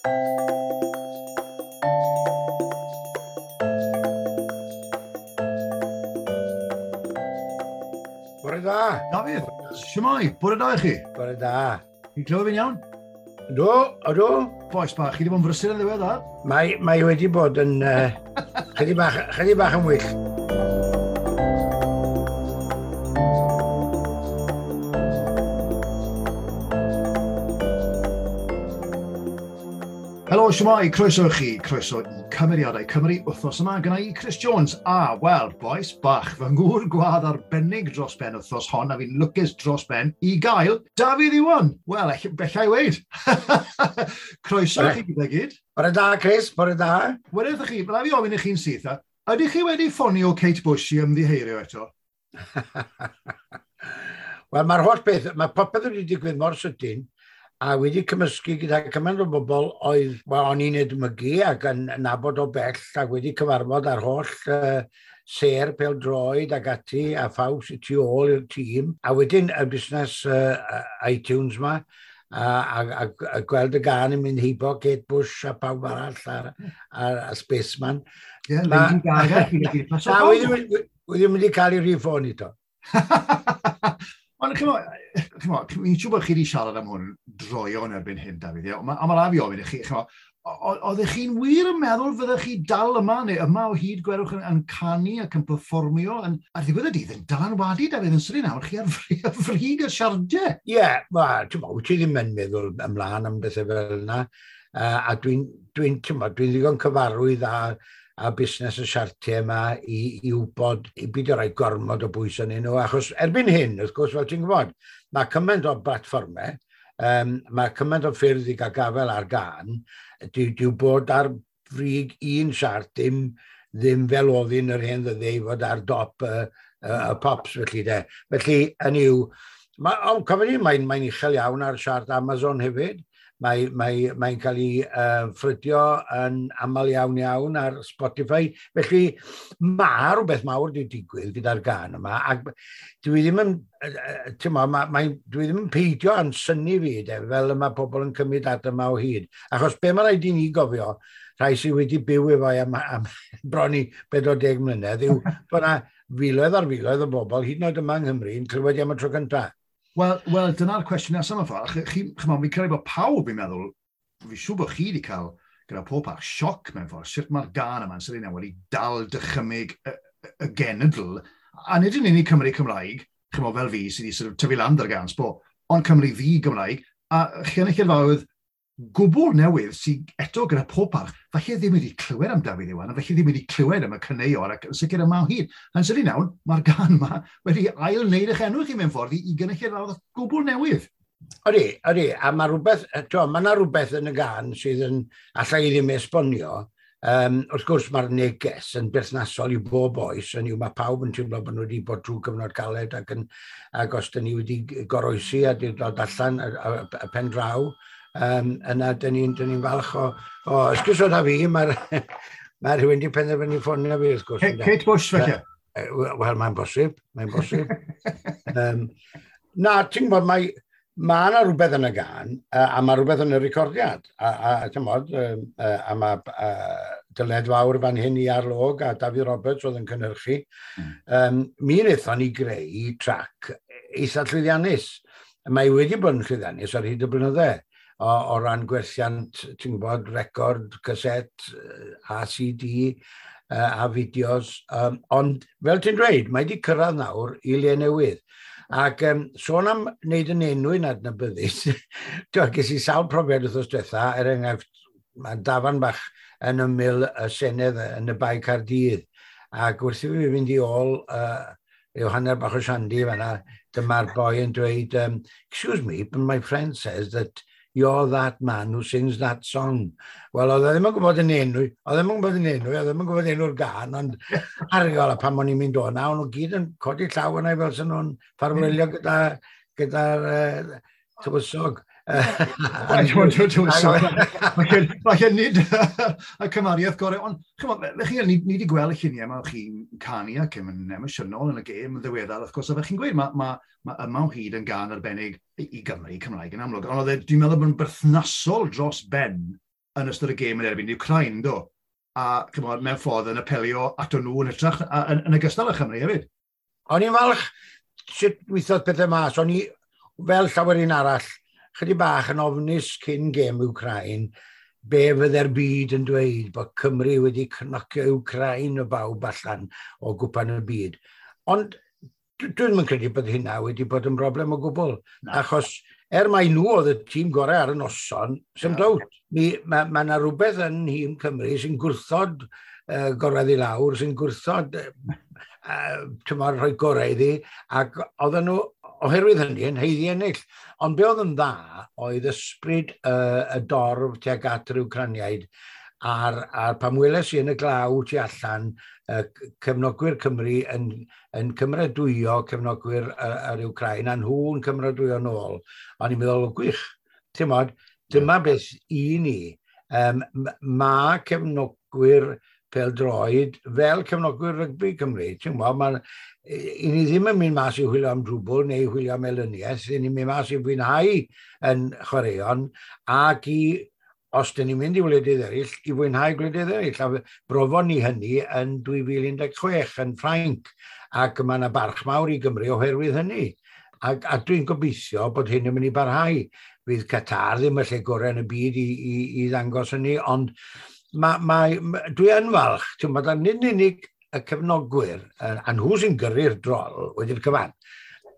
Bore da. Dafydd, shwmae, bore da i chi. Bore da. Chi'n clywed fi'n iawn? Ydw, ydw. Boes bach, chi wedi bod yn brysur yn ddiweddar? Mae wedi bod yn chydig bach yn wyllt. Helo, shwmae, croeso i chi, croeso i Cymeriadau Cymru wythnos yma, gyda i Chris Jones a, wel, boes bach, fy ngŵr gwadd arbennig dros ben wythnos hon, a fi'n lwcus dros ben i gael Dafydd Iwan. Wel, bella i weud. Croeso i chi gyda gyd. Bore da, Chris, bore da. Wedyn chi, byddai fi ofyn i chi'n syth, ydych chi wedi ffonio Kate Bush i ymddiheirio eto? Wel, mae'r holl beth, mae popeth wedi digwydd mor sydyn, a wedi cymysgu gyda cymaint o bobl oedd, wel, o'n i'n edmygu ac yn nabod o bell ac wedi cyfarfod ar holl sêr pêl-droed ac ati a phawb sydd tu ôl i'r tîm. A wedyn y busnes iTunes ma a gweld y gân yn mynd heibo Kate Bush a pawb arall a Spaceman. Ie, Lady Gaga. Na, wedi mynd i cael ei rhif ffôn i to. Ond chimod, fi'n siŵr bod chi wedi siarad am hwn droeon erbyn hyn, Dafydd, ie? Ond ma' raid fi ofyn i chi, chimod, oeddech chi'n wir yn meddwl fyddech chi dal yma, neu yma o hyd, gwerwch, yn canu ac yn perfformio, ar ddiwedd y dydd yn dylanwadu, Dafydd, yn sydyn nawr, chi ar frig y siardiau. Ie, wel, ti'n gwbod, wyt ti ddim yn meddwl ymlaen am bethau fel yna, a dwi'n ddigon cyfarwydd a busnes y siartiau yma i wybod, i beidio rhoi gormod o bwys yn nhw, achos erbyn hyn, wrth gwrs, fel ti'n gwybod, mae cymaint o blatfformau, mae cymaint o ffyrdd i gael gafael ar gân, dyw bod ar frig un siart ddim fel oedd yn yr hen ddyddiau i fod ar dop y pops, felly de. Felly, yn yw, cofio ni, mae'n uchel iawn ar siart Amazon hefyd. Mae'n cael ei ffrydio yn aml iawn iawn ar Spotify. Felly mae rhywbeth mawr wedi digwydd gyda'r gân yma. Ac dwi ddim yn, ti'n mo, ma, mae, dwi ddim yn peidio a'n synnu fi, de, fel y mae pobl yn cymryd at yma o hyd. Achos be mae rhaid i ni gofio, rhai sydd wedi byw efo am bron i 40 mlynedd, yw bod yna filoedd ar filoedd o bobl, hyd yn oed yma yng Nghymru, yn clywed am y tro cyntaf. Wel, dyna'r cwestiwn nesaf mewn ffordd. Chimod, fi'n credu bod pawb, fi'n meddwl, fi'n siŵr bod chi wedi cael, gyda pob parch, sioc mewn ffordd, sut mae'r gân yma'n sydyn wedi dal dychymyg y genedl, a nid yn unig Cymru Cymraeg, chimod, fel fi, sydd wedi sort of tyfu lan ar gân, sbo, ond Cymru ddi Gymraeg, a chynulleidfaoedd gwbl newydd sydd eto gyda pob parch, falle ddim wedi clywed am Dafydd Iwan, a falle ddim wedi clywed am y caneuon, ac yn sicr yma o hyd. Yn sydyn iawn, mae'r gân yma wedi ail-wneud eich enw chi mewn ffordd i gynulleidfaoedd gwbl newydd. Ydy, ydy, a mae rhywbeth, t'mo, mae yna rhywbeth yn y gân sydd yn, alla i ddim esbonio. Wrth gwrs, mae'r neges yn berthnasol i bob oes, yn yw mae pawb yn teimlo bod nhw wedi bod trwy gyfnod caled ac os dyn ni wedi goroesi a wedi dod allan y pen draw, yna dyn ni'n falch o esgusod a fi, mae rhywun wedi penderfynu ffonio fi, wrth gwrs, ynde? Kate Bush, felly? Wel, mae'n bosib, mae'n bosib. Na, ti'n gwybod, mae yna rhywbeth yn y gân, a mae rhywbeth yn y recordiad. A ti'n gwybod, a mae dyled fawr fan hyn i Arlog a Dafydd Roberts oedd yn cynhyrchu. Mi wnaethon ni greu trac eitha llwyddiannus. Mae wedi bod yn llwyddiannus ar hyd y blynydde. O ran gwerthiant, ti'n gwybod, record, caset, a CD, a fideos. Ond, fel ti'n dweud, mae wedi cyrraedd nawr i le newydd. Ac sôn am wneud yn enw i'n adnabyddus, ges i sawl profiad wythnos diwetha, er enghraifft, mae dafarn bach yn ymyl y Senedd yn y Bae Caerdydd. Ac wrth i fi fynd i ôl rhyw hanner bach o siandi fan'na, dyma'r boi yn dweud, excuse me, but my friend says that you're that man who sings that song. Wel, oedd e ddim yn gwybod yn enw, oedd e ddim yn gwybod yn enw, oedd e ddim yn gwybod enw'r gân, ond argol, a pan o'n i'n mynd o na, o'n nhw gyd yn codi llaw yna fel sy'n nhw'n ffarwelio gyda'r tywysog. Falle nid y cymariaeth gorau, ond chimod, fe chi, ni wedi gweld y lluniau yma, chi'n canu ac yn emosiynol yn y gêm yn ddiweddar, wrth gwrs, a fe chi'n gweud, mae yma o hyd yn gân arbennig i Gymru, Cymraeg yn amlwg, ond oedd e, dwi'n meddwl bod yn berthnasol dros ben yn ystod y gêm yn erbyn Ukraine, do? A chymod, mewn ffordd yn apelio ato nhw yn hytrach, yn ogystal â Chymru hefyd. O'n i'n falch sut weithiodd pethau mas. O'n i, fel llawer un arall, chydig bach yn ofnus cyn gêm Ukraine, be fydde'r byd yn dweud bod Cymru wedi cnocio Ukraine o bawb allan o gwpan y byd. Ond dwi'n yn credu bod hynna wedi bod yn broblem o gwbl. Na. Achos mai nhw oedd y tîm gorau ar y noson, sy'n dowt. Mae ma yna rhywbeth yn nhîm Cymru sy'n gwrthod gorwedd i lawr, sy'n gwrthod rhoi gorau iddi, ac oedden nhw, oherwydd hynny, yn haeddu ennill. Ond be oedd yn dda oedd ysbryd y dorf tuag at yr Wcraniaid, a'r pan weles i yn y glaw tu allan, cefnogwyr Cymru yn cymeradwyo cefnogwyr yr Wcrain, a nhw'n cymeradwyo nôl. O'n i'n meddwl, gwych, ti'n modd, dyma beth i ni. Mae cefnogwyr pêl-droed fel cefnogwyr rygbi Cymru. Ti'n gwybod, i ni ddim yn mynd mas i chwilio am drwbl neu i chwilio am elyniaeth, i ni'n mynd mas i fwynhau yn chwaraeon ac i, os dyn ni'n mynd i wledydd eraill, i fwynhau gwledydd eraill. A brofon ni hynny yn 2016 yn Ffrainc, ac mae yna barch mawr i Gymru oherwydd hynny. A dwi'n gobeithio bod hyn yn mynd i barhau. Fydd Qatar ddim y lle gorau yn y byd i ddangos hynny, ond dwi yn falch, ti'n bod, nid yn unig y cefnogwyr, a nhw sy'n gyrru'r drol wedi'r cyfan,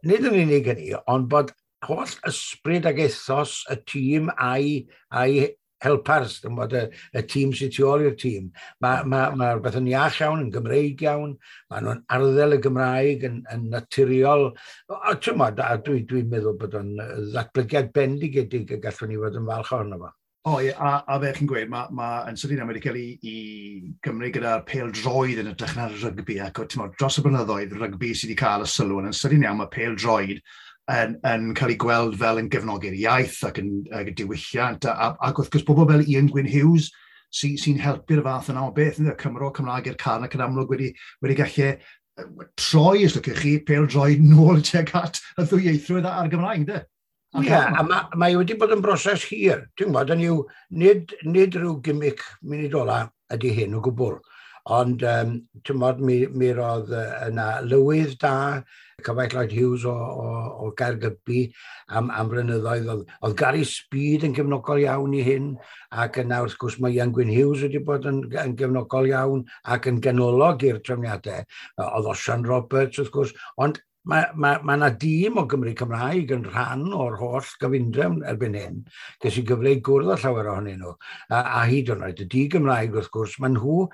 nid yn unig hynny, ond bod holl ysbryd ag ethos y tîm a'i helpars, ti'n bod, y tîm sy'n tu ôl i'r tîm. Mae rhywbeth yn iach iawn, yn Gymreig iawn, mae nhw'n arddel y Gymraeg yn naturiol. A ti'n bod, a dwi'n meddwl bod o'n ddatblygiad bendigedig y gallwn ni fod yn falch ohono fo. O, ie, a fe chi'n gweud, ma yn sydyn wedi cael ei Gymru gyda'r pêl-droed yn edrych na'r rygbi, ac ti'n dros y blynyddoedd, rygbi sydd wedi cael y sylw, yn sydyn iawn mae pêl-droed yn cael ei gweld fel yn gefnogi'r iaith ac yn diwylliant, ac wrth gwrs pobl fel Ian Gwyn Hughes sy'n helpu'r fath yna o beth, ynddo, Cymro Cymraeg i'r car ac yn amlwg wedi gallu troi, os lwcech chi, pêl-droed nôl tuag at y ddwyieithrwydd a'r Gymraeg, ynddo? Ie, a mae wedi bod yn broses hir. Ti'n gwybod, yn yw, nid rhyw gimmick munud ola ydy hyn o gwbl. Ond, ti'n gwybod, mi roedd yna lywydd da, cyfaill Lloyd Hughes o Gaergybi am flynyddoedd. Oedd Gary Speed yn gefnogol iawn i hyn, ac yna wrth gwrs mae Ian Gwyn Hughes wedi bod yn gefnogol iawn ac yn ganolog i'r trefniadau. Oedd Osian Roberts wrth gwrs, ond mae yna dîm o Gymru Cymraeg yn rhan o'r holl gyfundrefn erbyn hyn. Ges i gyfle i gwrdd â llawer ohonyn nhw. A hyd yn oed y di-Gymraeg wrth gwrs, maen nhw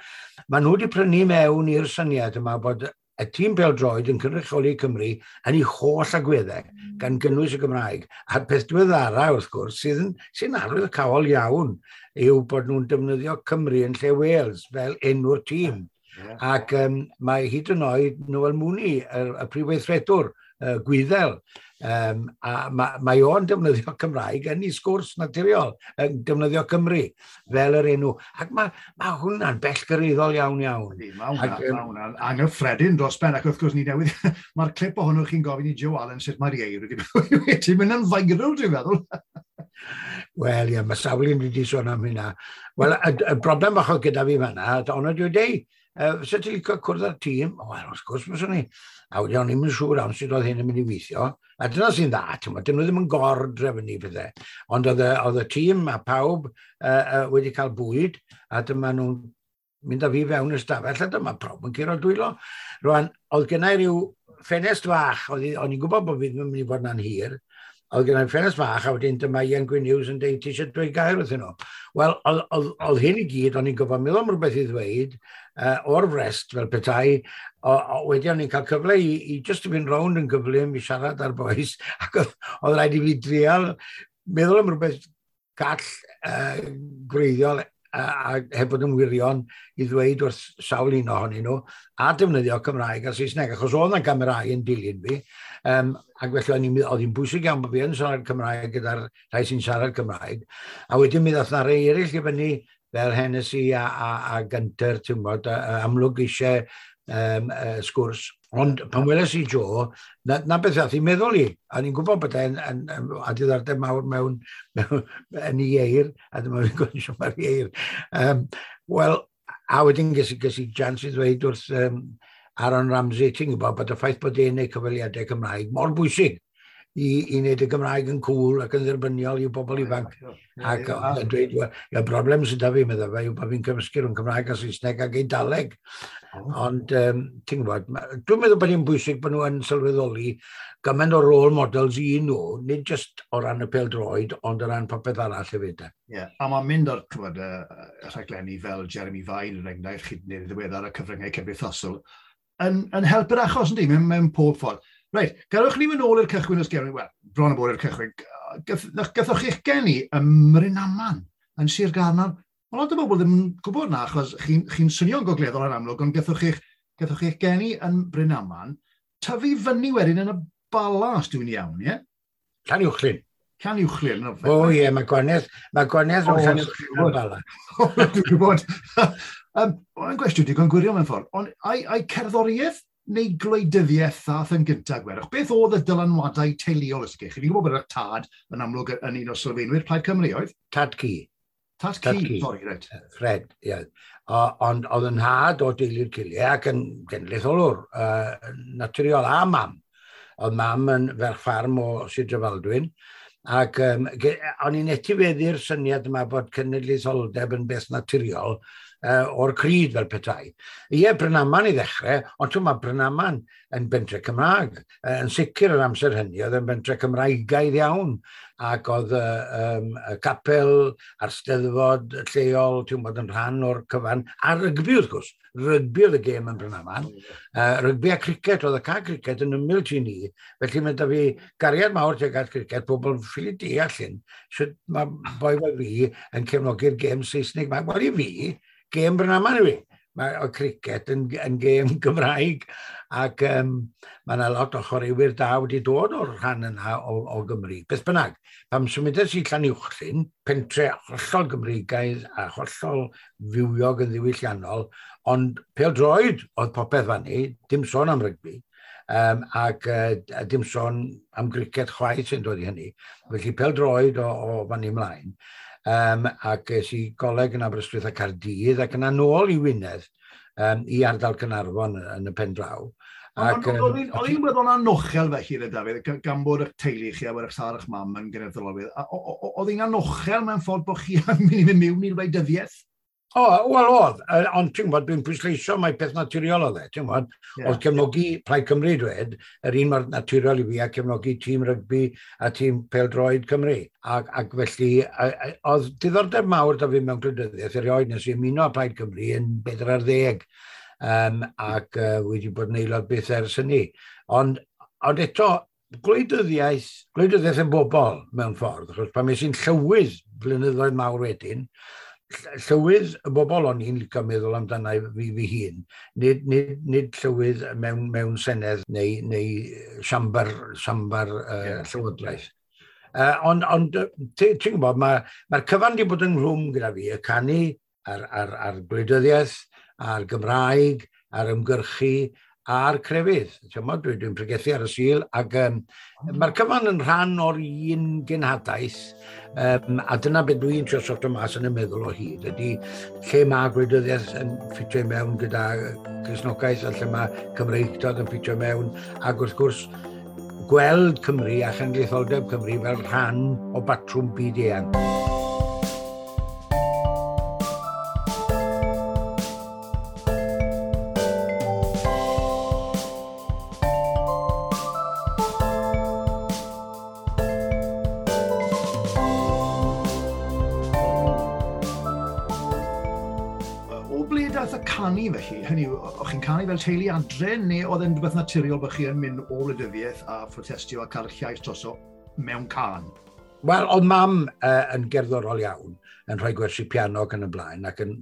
wedi prynu mewn i'r syniad yma bod y tîm pêl-droed yn cynrychioli Cymru yn ei holl agweddau, gan gynnwys y Gymraeg. A'r peth diweddara wrth gwrs, sy'n arwyddocaol iawn, yw bod nhw'n defnyddio Cymru yn lle Wales fel enw'r tîm. Yeah. Ac mae hyd yn oed Noel Mooney, y prif weithredwr, Gwyddel, a mae o'n defnyddio Cymraeg yn ei sgwrs naturiol, yn defnyddio Cymru fel yr enw. Ac mae hwnna'n bellgyrraeddol iawn iawn. Mae hwnna'n anghyffredin dros ben, ac wrth gwrs ni newydd, mae'r clip ohonoch chi'n gofyn i Joe Allen sut mae'r ieir wedi mynd yn viral, dwi'n meddwl. Wel, ie, mae sawl un wedi sôn am hynna. Wel, y broblem bach oedd gyda fi fan'na, ond dwi'n deud, fysa ti'n licio cwrdd â'r tîm? Wel, wrth gwrs fyswn i. A wedyn o'n i'm yn siŵr am sut oedd hyn yn mynd i weithio. A dyna sy'n dda, ti'n gwbod, dyn nhw ddim yn gor-drefnu pethau. Ond oedd y tîm a pawb wedi cael bwyd, a dyma nhw'n mynd â fi fewn y stafell, a dyma pawb yn curo dwylo. Rwan, oedd gennau rhyw ffenest fach, o'n i'n gwybod bod fi ddim yn mynd i fod na'n hir, oedd gennau ffenest fach, a wedyn dyma Ian Gwyn Hughes yn deud, ti eisiau dweud gair wrthyn nhw? Wel, oedd hyn i gyd, o'n i'n gwybod meddwl am rhywbeth i ddweud, o'r frest fel petai, wedyn o'n i'n cael cyfle i just i fynd rownd yn gyflym i siarad â'r bois, ac oedd rhaid i fi drial meddwl am rhywbeth gall gwreiddiol a heb fod yn wirion i ddweud wrth sawl un ohonyn nhw, a defnyddio Cymraeg a Saesneg, achos oedd yna gamerâu yn dilyn fi, ac felly oedd hi'n bwysig iawn bod fi yn siarad Cymraeg gyda'r rhai sy'n siarad Cymraeg, a wedyn mi ddath 'na rei eraill i fyny, fel Hennessy a Gunter, ti'n gwybod, amlwg eisiau sgwrs. Ond pan weles i Joe, na beth ath i meddwl i. A ni'n gwybod bod e'n a diddordeb mawr mewn yn ei eir, a dyma fi'n gwybod mae'r ieir. Wel, a wedyn ges i chance i ddweud wrth Aaron Ramsey, ti'n gwybod bod y ffaith bod e'n neud cyfweliadau Cymraeg mor bwysig i wneud y Gymraeg yn cool ac yn dderbyniol i'w bobl ifanc. Ac oedd e'n dweud, y broblem sydd 'da fi, meddai fe, yw bod fi'n cymysgu rhwng Cymraeg a Saesneg ac Eidaleg. Ond, ti'n gwybod, dwi'n meddwl bod hi'n bwysig bod nhw yn sylweddoli gymaint o role models i nhw, nid just o ran y pêl-droed, ond o ran popeth arall hefyd. Ie, yeah, a mae'n mynd o'r, ch'mod, y rhaglenni fel Jeremy Vine, er enghraifft, chi wedi ddiweddar y cyfryngau cymdeithasol, yn helpu'r achos, yndi, mewn pob ffordd. Reit, gadewch ni fynd ôl i'r cychwyn os gewn ni, wel, bron o bod i'r cychwyn. Gathoch chi'ch geni ym Mrynaman, yn Sir Gaernarfon. Mae lot o bobl ddim yn gwybod na, achos chi'n chi swnio'n gogleddol yn amlwg, ond gathoch chi'ch geni yn Brynaman, tyfu fyny wedyn yn y Bala, os dwi'n iawn, ie? Llanuwchllyn. Llanuwchllyn. O ie, mae gwahaniaeth rhwng Llanuwchllyn a'r Bala. Dwi'n gwybod. Mae'n gwestiwn digon gwirion mewn ffordd, ond ai cerddoriaeth neu gwleidyddiaeth ddath yn gyntaf, gwerwch? Beth oedd y dylanwadau teuluol ys chi? Fi'n gwybod bod eich tad yn amlwg yn un o sylfaenwyr Plaid Cymru, oedd? Tad cu. Tad cu, sori, reit. Fred, ie. Ond oedd yn nhad o deulu'r Cilie ac yn genedlaetholwr naturiol a mam. Oedd mam yn ferch ffarm o Sir Drefaldwyn. Ac o'n i'n etifeddu'r syniad yma bod cenedlaetholdeb yn beth naturiol o'r cryd fel petai. Ie, Brynaman i ddechrau, ond ti'n mae Brynaman yn bentre Cymraeg. Yn sicr yr amser hynny, oedd yn bentre Cymraegaidd iawn. Ac oedd y capel a'r steddfod lleol, ti'n bod yn rhan o'r cyfan, a rygbi wrth gwrs. Rygbi oedd y gêm yn Brynaman. Rygbi a cricet, oedd y ca cricet yn ymyl ti ni. Felly mae da fi gariad mawr tuag at cricet, pobl ffili deall hyn. Sut mae boi fel fi yn cefnogi'r gêm Saesneg. Wel i fi, gêm Brynaman yw i. Mae cricet yn gêm Gymraeg ac mae yna lot o chwaraewyr da wedi dod o'r rhan yna o Gymru. Beth bynnag, pam symudes i Llanuwchllyn, pentre hollol Gymreigaidd a hollol fywiog yn ddiwylliannol, ond pêl-droed oedd popeth fan ni, dim sôn am rygbi, ac dim sôn am gricet chwaith sy'n dod i hynny. Felly pêl-droed o fan ni ymlaen. Ac es i goleg yn Aberystwyth a Caerdydd ac yna nôl i Wynedd i ardal Caernarfon yn y pen draw. Oedd hi'n weddol anochel felly, Dafydd, gan bod eich teulu chi a bod eich tad a'ch mam yn genedlaetholwyr. Oedd hi'n anochel mewn ffordd bod chi yn mynd i fynd mewn i'r wleidyddiaeth? O, wel oedd, ond ti'n gwybod, dwi'n pwysleisio mai peth naturiol oedd e, ti'n gwybod, oedd cefnogi Plaid Cymru dwed, yr un mor naturiol i fi a cefnogi tîm rygbi a tîm pêl-droed Cymru. Ac felly, oedd diddordeb mawr da fi mewn gwleidyddiaeth erioed nes i ymuno â Plaid Cymru yn 40, ac wedi bod yn aelod byth ers hynny. Ond eto, gwleidyddiaeth yn bobl mewn ffordd, achos pan es i'n llywydd blynyddoedd mawr wedyn, llywydd y bobl o'n i'n licio meddwl amdana fi fy hun, nid llywydd mewn senedd neu siambar llywodraeth. Ond ti'n gwybod, mae'r cyfan wedi bod ynghlwm gyda fi, y canu a'r gwleidyddiaeth, a'r Gymraeg, a'r ymgyrchu, a'r crefydd. Dwi'n pregethu ar y Sul, ac mae'r cyfan yn rhan o'r un genhadaeth, a dyna beth dwi'n trio sorto mas yn y meddwl o hyd, ydy lle mae gwleidyddiaeth yn ffitio mewn gyda Cristnogaeth, a lle mae Cymreictod yn ffitio mewn, ac wrth gwrs gweld Cymru a chenedlaetholdeb Cymru fel rhan o batrwm byd eang. Felly, hynny yw, o'ch chi'n canu fel teulu adre, neu oedd e'n rhywbeth naturiol bod chi yn mynd o wleidyddiaeth a phrotestio a cael eich llais droso mewn cân? Wel, oedd mam yn gerddorol iawn, yn rhoi gwersi piano ac yn y blaen, ac yn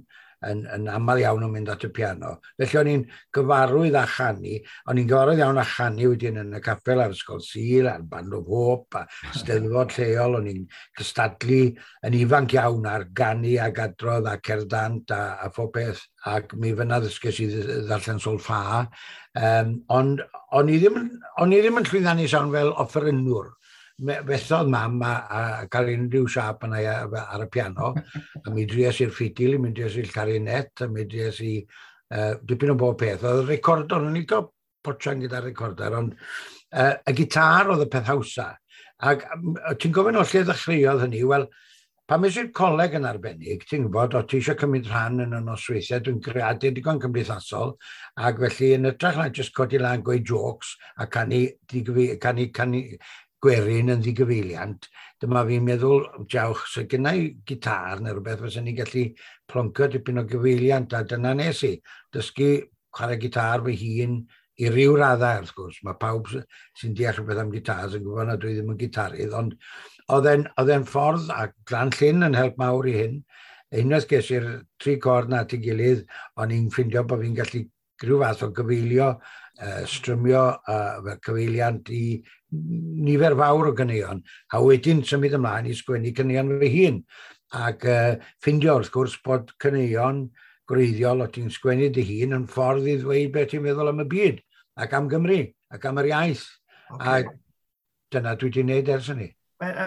yn aml iawn yn mynd at y piano. Felly o'n i'n gyfarwydd â chanu, o'n i'n gyfarwydd iawn â chanu wedyn yn y capel a'r Ysgol Sul, a'r Band of Hope, a steddfod lleol, o'n i'n cystadlu yn ifanc iawn ar ganu ac adrodd a cerddant a phob peth. Ac mi fyna ddysges i ddarllen solfa. Ond o'n i ddim yn llwyddiannus iawn fel offerynnwr. Fethodd mam a cael unrhyw siâp yna ar y piano, a mi dries i'r ffidil, mi dries i'r clarinet, a mi dries i dipyn o bob peth. Oedd y recorder, o'n i'n cael potsian gyda'r recorder, ond y gitar oedd y peth hawsa. Ac ti'n gofyn o lle ddechreuodd hynny? Wel, pan es i'r coleg yn arbennig, ti'n gwybod, o ti eisiau cymryd rhan yn y nosweithiau, dwi'n greadur digon cymdeithasol, ac felly yn hytrach na jyst codi lan gweud jokes a canu gwerin yn ddigyfeiliant, dyma fi'n meddwl, diawch, so gynna i gitar neu rhywbeth, fysen ni'n gallu ploncio dipyn o gyfeiliant, a dyna nes i, dysgu chwarae gitar fy hun i ryw raddau, wrth gwrs. Mae pawb sy'n deall rhywbeth am gitars yn gwybod na dwi ddim yn gitarydd, ond oedd e'n ffordd, a Glan Llyn yn help mawr i hyn. Unwaith ges i'r tri cord na at ei gilydd, o'n i'n ffindio bod fi'n gallu rhyw fath o gyfeilio, strymio fel cyfeiliant i nifer fawr o ganeuon, a wedyn symud ymlaen i sgwennu caneuon fy hun. Ac ffindio wrth gwrs bod caneuon gwreiddiol o ti'n sgwennu dy hun yn ffordd i ddweud beth ti'n meddwl am y byd, ac am Gymru, ac am yr iaith. Okay. A dyna dwi wedi gwneud ers hynny.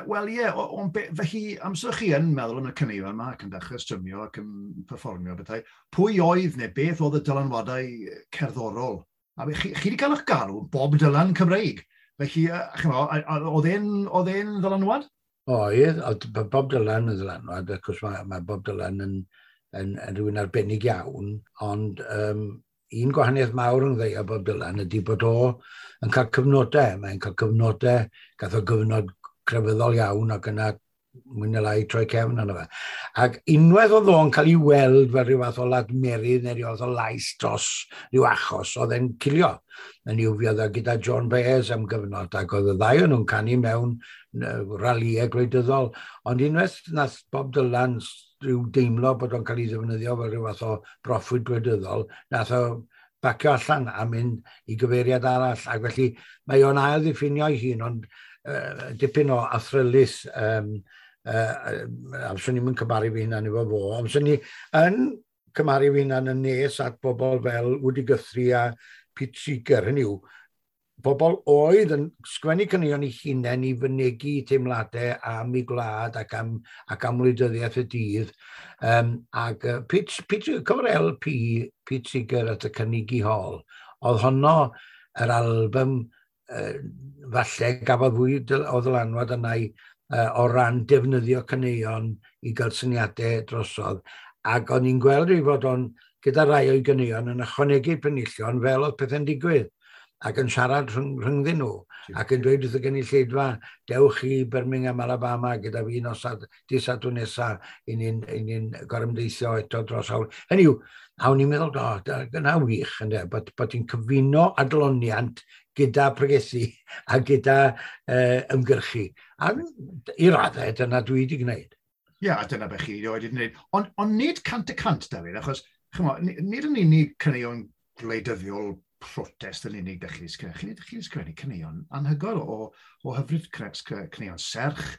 Wel ie, ond felly amser chi yn meddwl am y caneuon yma ac yn dechrau strymio ac yn perfformio bethau, pwy oedd neu beth oedd y dylanwadau cerddorol? A chi wedi cael eich galw Bob Dylan Cymreig. Felly, oedd e'n ddylanwad? Oedd, Bob Dylan yn ddylanwad, achos mae Bob Dylan yn rhywun arbennig iawn, ond un gwahaniaeth mawr yn ddeu o Bob Dylan ydy bod o yn cael cyfnodau. Mae'n cael cyfnodau, gath o gyfnod crefyddol iawn ac yna mwy neu lai troi cefn arno fe. Ac unwaith oedd o'n cael ei weld fel rhyw fath o ladmerydd neu rhyw fath o lais dros rhyw achos, oedd e'n cilio. Yn i'w fi oedd o gyda John Baez am gyfnod, ac oedd y ddau o'n nhw'n canu mewn ralïau gwleidyddol. Ond unwaith nath Bob Dylan rhyw deimlo bod o'n cael ei ddefnyddio fel rhyw fath o broffwyd gwleidyddol, nath o bacio allan a mynd i gyfeiriad arall. Ac felly mae o'n ail ddiffinio ei hun, ond dipyn o athrylith, amser ni'n cymharu fi hunan efo fo, amser ni yn cymharu fi hunan yn nes at bobl fel Woody Guthrie a Pete Seeger, hynny yw, bobl oedd yn sgwennu caneuon eu hunain i fynegi teimladau am eu gwlad ac am wleidyddiaeth y dydd. Ac Pete, cyfer LP, Pete Seeger at y Carnegie Hall, oedd honno yr album falle gafodd fwy o ddylanwad yna o ran defnyddio caneuon i gael syniadau drosodd. Ac o'n i'n gweld ei fod o'n, gyda rai o'i ganeuon, yn ychwanegu penillion fel oedd pethau'n digwydd, ac yn siarad rhyngddyn nhw, ac yn dweud wrth y gynulleidfa, dewch i Birmingham, Alabama, gyda fi nos dydd Sadwrn nesa, i ni'n gorymdeithio eto dros hawl. Hynny yw, a o'n i'n meddwl, o, dyna wych, ynde, bod ti'n cyfuno adloniant gyda pregethu a gyda ymgyrchu. A i raddau, dyna dwi wedi gwneud. Ie, a dyna beth chi wedi gwneud. Ond nid 100%, Dafydd, achos chymod, nid yn unig caneuon gwleidyddiol protest yn unig dych chi'n sgrifennu. Chi'n sgrifennu caneuon anhygoel o hyfryd, caneuon serch,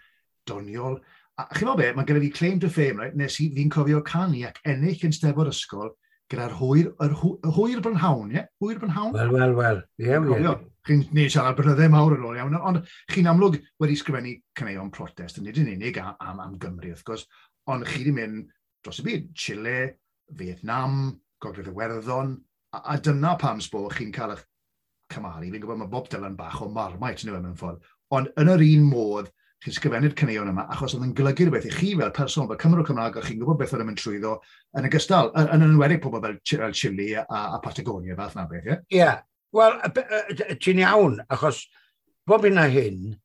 doniol. A chi'n meddwl be, mae gyda fi claim to fame, right? Nes i fi'n cofio canu ac ennill yn steddfod ysgol gyda'r hwyr brynhawn, ie? Hwyr brynhawn? Wel. Ie. Chi'n neud siarad brynyddau mawr yn ôl iawn, ond chi'n amlwg wedi sgrifennu caneuon protest, yn nid yn unig am Gymru, wrth gwrs, ond chi wedi mynd dros y byd, Chile, Vietnam, Gogledd Iwerddon, a dyna pam sbo chi'n cael eich cymharu. Fi'n gwybod mae Bob Dylan bach o Marmite yn mewn ffordd, ond yn yr un modd, chi'n sgrifennu'r caneuon yma, achos oedd yn golygu rhywbeth i chi fel person, fel Cymro Cymraeg, o'ch chi'n gwybod beth oedd yn mynd trwyddo, yn ogystal, yn enwedig pobl fel Chile a Patagonia, fath na beth, ie? Ie, wel, ti'n iawn, achos bob un a hyn,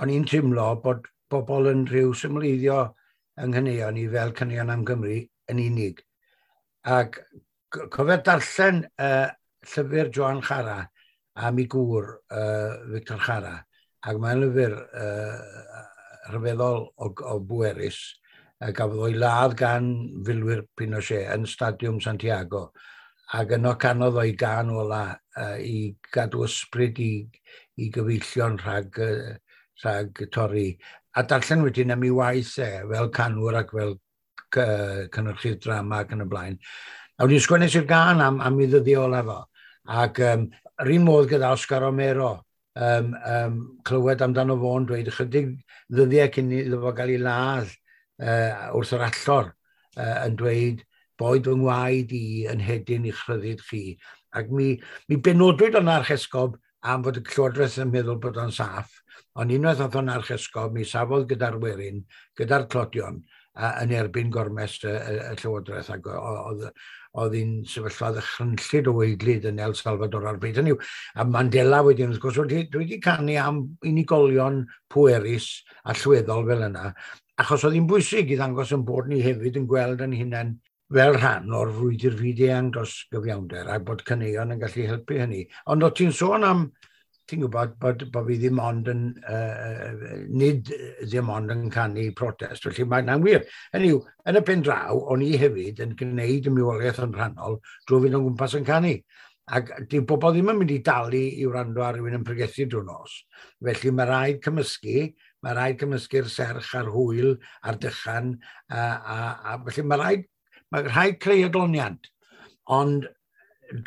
o'n i'n teimlo bod bobl yn rhyw symleiddio yng nghaneuon i fel caneuon am Gymru yn unig. Ac cofio darllen llyfr Joan Chara am ei gŵr, Victor Chara, ac mae'n lyfr rhyfeddol o bwerus, Gafodd o'i ladd gan filwyr Pinochet yn Stadiwm Santiago. Ac yno canodd o'i gân ola i gadw ysbryd i gyfeillion rhag torri. A darllen wedyn am ei waith e, fel canwr ac fel cynhyrchydd drama ac yn y blaen. A wedyn sgwennes i'r gân am ei ddyddiau ola fo. Ac yr un modd gyda Oscar Romero, clywed amdano fo'n dweud ychydig ddyddiau cyn iddo fo gael ei ladd wrth yr allor yn dweud boed fy ngwaed i yn hedyn i'ch rhyddid chi. Ac mi benodwyd o'n archesgob am fod y Llywodraeth yn meddwl bod o'n saff, ond unwaith oedd o'n archesgob, mi safodd gyda'r werin, gyda'r tlodion, yn erbyn gormes y Llywodraeth, ac oedd hi'n sefyllfa ddychrynllyd o waedlyd yn El Salvador ar bryd. Hynny yw, a Mandela wedyn, wrth gwrs, dwi wedi canu am unigolion pwerus a allweddol fel yna, achos oedd hi'n bwysig i ddangos yn bod ni hefyd yn gweld yn hunain fel rhan o'r frwydr fyd-eang dros gyfiawnder, a bod caneuon yn gallu helpu hynny. Ond o ti'n sôn am, ti'n gwybod, bod fi ddim ond yn, nid ddim ond yn canu protest, felly mae'n wir. Hynny yw, yn y pen draw, o'n i hefyd yn gwneud y mywoliaeth yn rhannol drwy fynd o gwmpas yn canu. Ac dyw bobl ddim yn mynd i dalu i wrando ar rhywun yn pregethu drwy nos. Felly mae rhaid cymysgu, mae rhaid cymysgu'r serch a'r hwyl a'r dychan, a felly mae rhaid creu adloniant, ond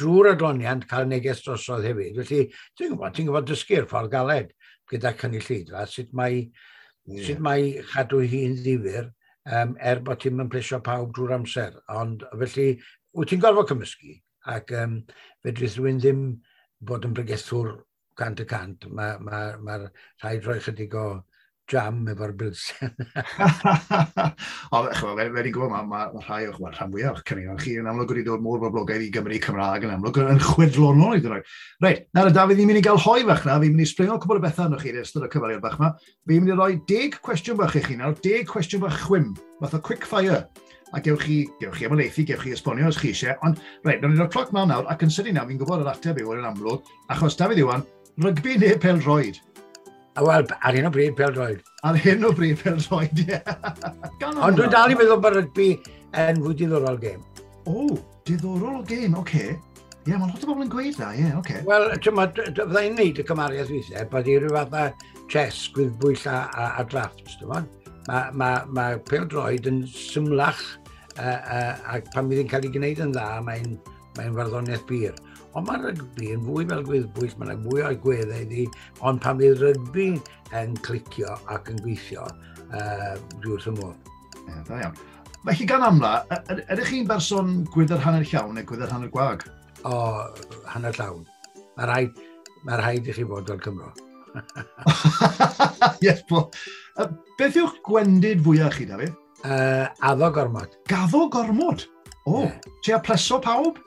drwy'r adloniant cael neges drosodd hefyd. Felly, ti'n gwybod dysgu'r ffordd galed gyda cynulleidfa, sut mae chadw hi'n ddifyr, er bod ti'n yn plesio pawb drwy'r amser. Ond felly, wyt ti'n gorfod cymysgu, ac fedrith rhywun ddim bod yn bregethwr 100%. Mae rhaid rhoi chydig o jam efo'r bilsen. O, ch'mo, fe ni'n gwybod, ma rhai o'ch, wel, rhan fwyaf o'ch caneuon chi yn amlwg wedi dod mor boblogaidd i Gymru Cymraeg yn amlwg yn chwedlonol i ddod. Reit, nawr, Dafydd, ni'n mynd i gael hoe fach na, fi'n mynd i sbringo cwbl o bethau arnoch chi yn ystod y cyfweliad bach yma. Fi'n mynd i roi 10 cwestiwn bach i chi nawr, 10 cwestiwn bach chwim, fath o quick fire. A gewch chi ymhelaethu, gewch chi esbonio os chi eisiau. Ond, reit, nawn ni roi'r cloc mlaen nawr, ac yn sydyn nawr, fi'n gwybod yr ateb yw yn amlwg, achos Dafydd Iwan, rygbi neu pêl-droed? Wel, ar hyn o bryd, pêl-droed. Ar hyn o bryd, pêl-droed, ie. Ond dwi'n dal i meddwl bod rygbi yn fwy diddorol gêm. O, diddorol o gêm, oce. Okay. Ie, yeah, mae lot o bobl yn gweud na, ie, oce. Okay. Wel, fydda i'n neud y cymariaeth weithiau, bod i ryw fath o chess, gwyddbwyll a drafts, dwi'n meddwl. Ma pêl-droed yn symlach, ac pan fydd hi'n cael ei gwneud yn dda, mae'n farddoniaeth bur. Ond mae rygbi yn fwy fel gwyddbwyll, mae'n fwy o agweddau iddi, ond pan fydd rygbi yn clicio ac yn gweithio, dwi wrth y modd. Ie, da iawn. Felly gan amla, ydych chi'n berson gwydr hanner llawn neu gwydr hanner gwag? O, hanner llawn. Mae rhaid i chi fod fel Cymro. Yes, bo. Beth yw'ch gwendid fwyaf chi, Dafydd? Addo gormod. Gaddo gormod? O, yeah. Ti a pleso pawb?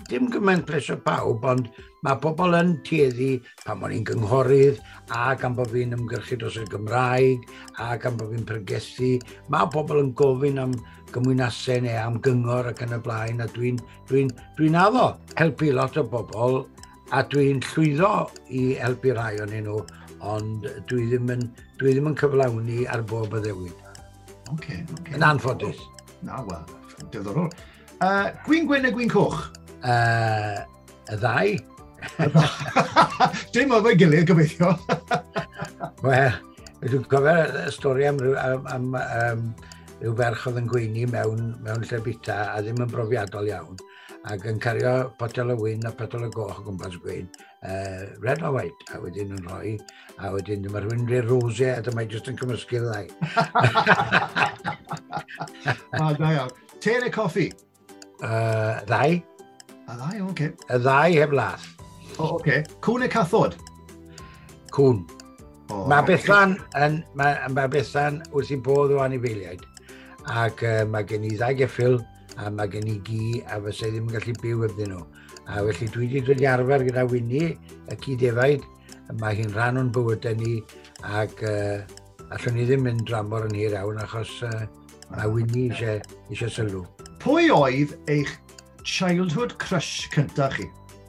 Dim gymaint plesio pawb, ond mae pobl yn tueddu pan o'n i'n gynghorydd, a gan bod fi'n ymgyrchu dros y Gymraeg, a gan bod fi'n pregethu. Mae pobl yn gofyn am gymwynasau neu am gyngor ac yn y blaen, a dwi addo helpu lot o bobl, a dwi'n llwyddo i helpu rhai ohonyn nhw, ond dwi ddim yn cyflawni ar bob addewid. Yn anffodus. Na, wel, diddorol. Gwin gwyn neu gwin coch? Y ddau. Dim o'r gilydd, gobeithio. Wel, dwi'n cofio y stori am ryw ferch oedd yn gweini mewn lle bita a ddim yn brofiadol iawn, ac yn cario potel o wyn a potel o goch o gwmpas gweud, red or white, a wedyn yn rhoi, a wedyn dyma rhywun rhoi rosé, a dyma jyst yn cymysgu'r ddau. A, da iawn. Te neu coffi? Ddau. A ddau, oce. Okay. Y ddau heb lath. O, oce. Okay. Cwn neu cathod? Cwn. Oh, mae Bethan mae Bethan wrth i bodd o anifeiliaid. Ac mae gen i ddau geffyl, a mae gen i gi, a fysa i ddim yn gallu byw hebddyn nhw. A felly dwi wedi dod i arfer gyda Winnie, y ci defaid, mae hi'n rhan o'n bywydau ni, ac allwn ni ddim mynd dramor yn hir iawn, achos mae Winnie eisiau sylw. Pwy oedd eich childhood crush cyntaf chi?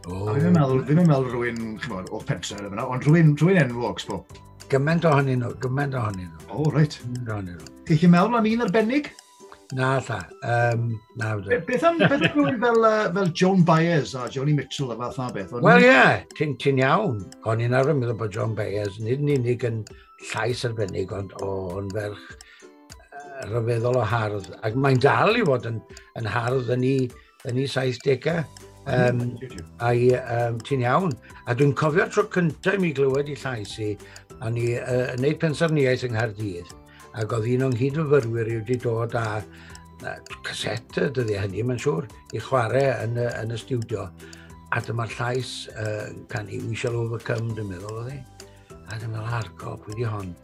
Oh. A fi'n meddwl rhywun, ch'mod, o'r pentre yna, ond rhywun enwog, sbo. Gymaint ohonyn nhw, gymaint ohonyn nhw. O, reit. Gymaint ohonyn nhw. Chi'n gallu meddwl am un arbennig? Na, lla. Na. Beth am rhywun fel Joan Baez a Joni Mitchell a fath na beth? Wel ie, yeah, ti'n ti iawn. O'n i'n arfer meddwl bod Joan Baez nid yn unig yn llais arbennig, ond o'n ferch rhyfeddol o hardd. Ac mae'n dal i fod yn hardd yn ei 70au. Ti'n iawn. A dwi'n cofio'r tro cyntaf i mi glywed i llais i, a ni yn neud pensaerniaeth yng Nghaerdydd, ac oedd un o'n nghydfyfyrwyr i wedi dod â caset y dyddiau hynny, mae'n siŵr, i chwarae yn y stiwdio. A dyma'r llais canu "We Shall Overcome", dwi'n meddwl oedd hi. A dwi'n meddwl, "Argo, pwy di hon?"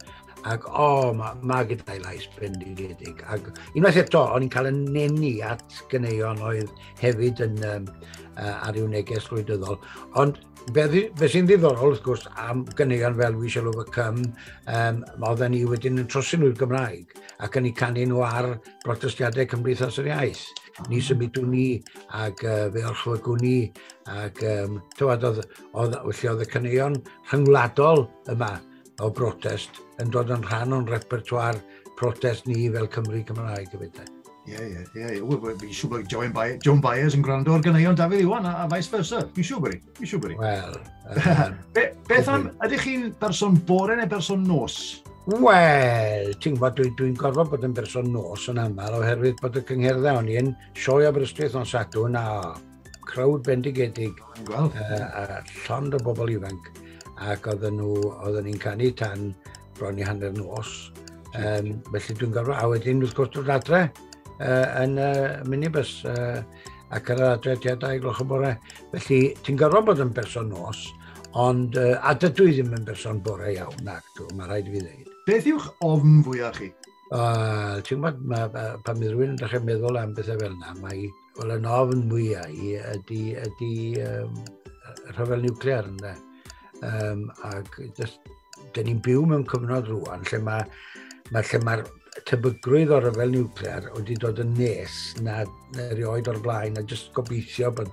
Ac o, oh, ma gyda'i lais bendigedig. Ac unwaith eto, o'n i'n cael y nenu at ganeuon oedd hefyd yn ar ryw neges gwleidyddol. Ond be sy'n ddiddorol, wrth gwrs, am ganeuon fel "We Shall Overcome", oedden ni wedyn yn trosi nhw'r Gymraeg ac yn eu canu nhw ar brotestiadau Cymdeithas yr Iaith. "Ni symudwn ni" ac "Fe orchfygwn ni" ac tywed, felly oedd y caneuon rhyngwladol yma o brotest yn dod yn rhan o'n repertoire protest ni fel Cymru Cymraeg hefyd. Ie. Fi'n siŵr bod Joan Baez yn gwrando ar ganeuon Dafydd Iwan a vice versa. Fi'n siŵr bod hi. Fi'n siŵr bod hi. Wel. Beth am, ydych chi'n berson bore neu berson nos? Wel, ti'n gwybod, dwi gorfod bod yn berson nos yn aml oherwydd bod y cyngherddau, o'n i yn sioe Aberystwyth nos Sadwrn a crowd bendigedig. Gweld. A llond o bobl ifanc ac oedden ni'n canu tan bron i hanner nos. Felly dwi'n gorfod, a wedyn wrth gwrs dod adre yn minibus ac ar yr adre tua 2 gloch y bore. Felly ti'n gorfod bod yn berson nos, ond a dydw i ddim yn berson bore iawn, nac dw, mae rhaid i fi ddweud. Beth yw'ch ofn fwyaf chi? Ti'n gwybod, pan bydd rhywun yn dechrau meddwl am bethau fel yna, mae, wel, yn ofn mwyaf i ydy rhyfel niwclear, ynddo. Ac just, dyn ni'n byw mewn cyfnod rwan lle mae'r tebygrwydd o ryfel niwclear wedi dod yn nes na erioed o'r blaen, a jyst gobeithio bod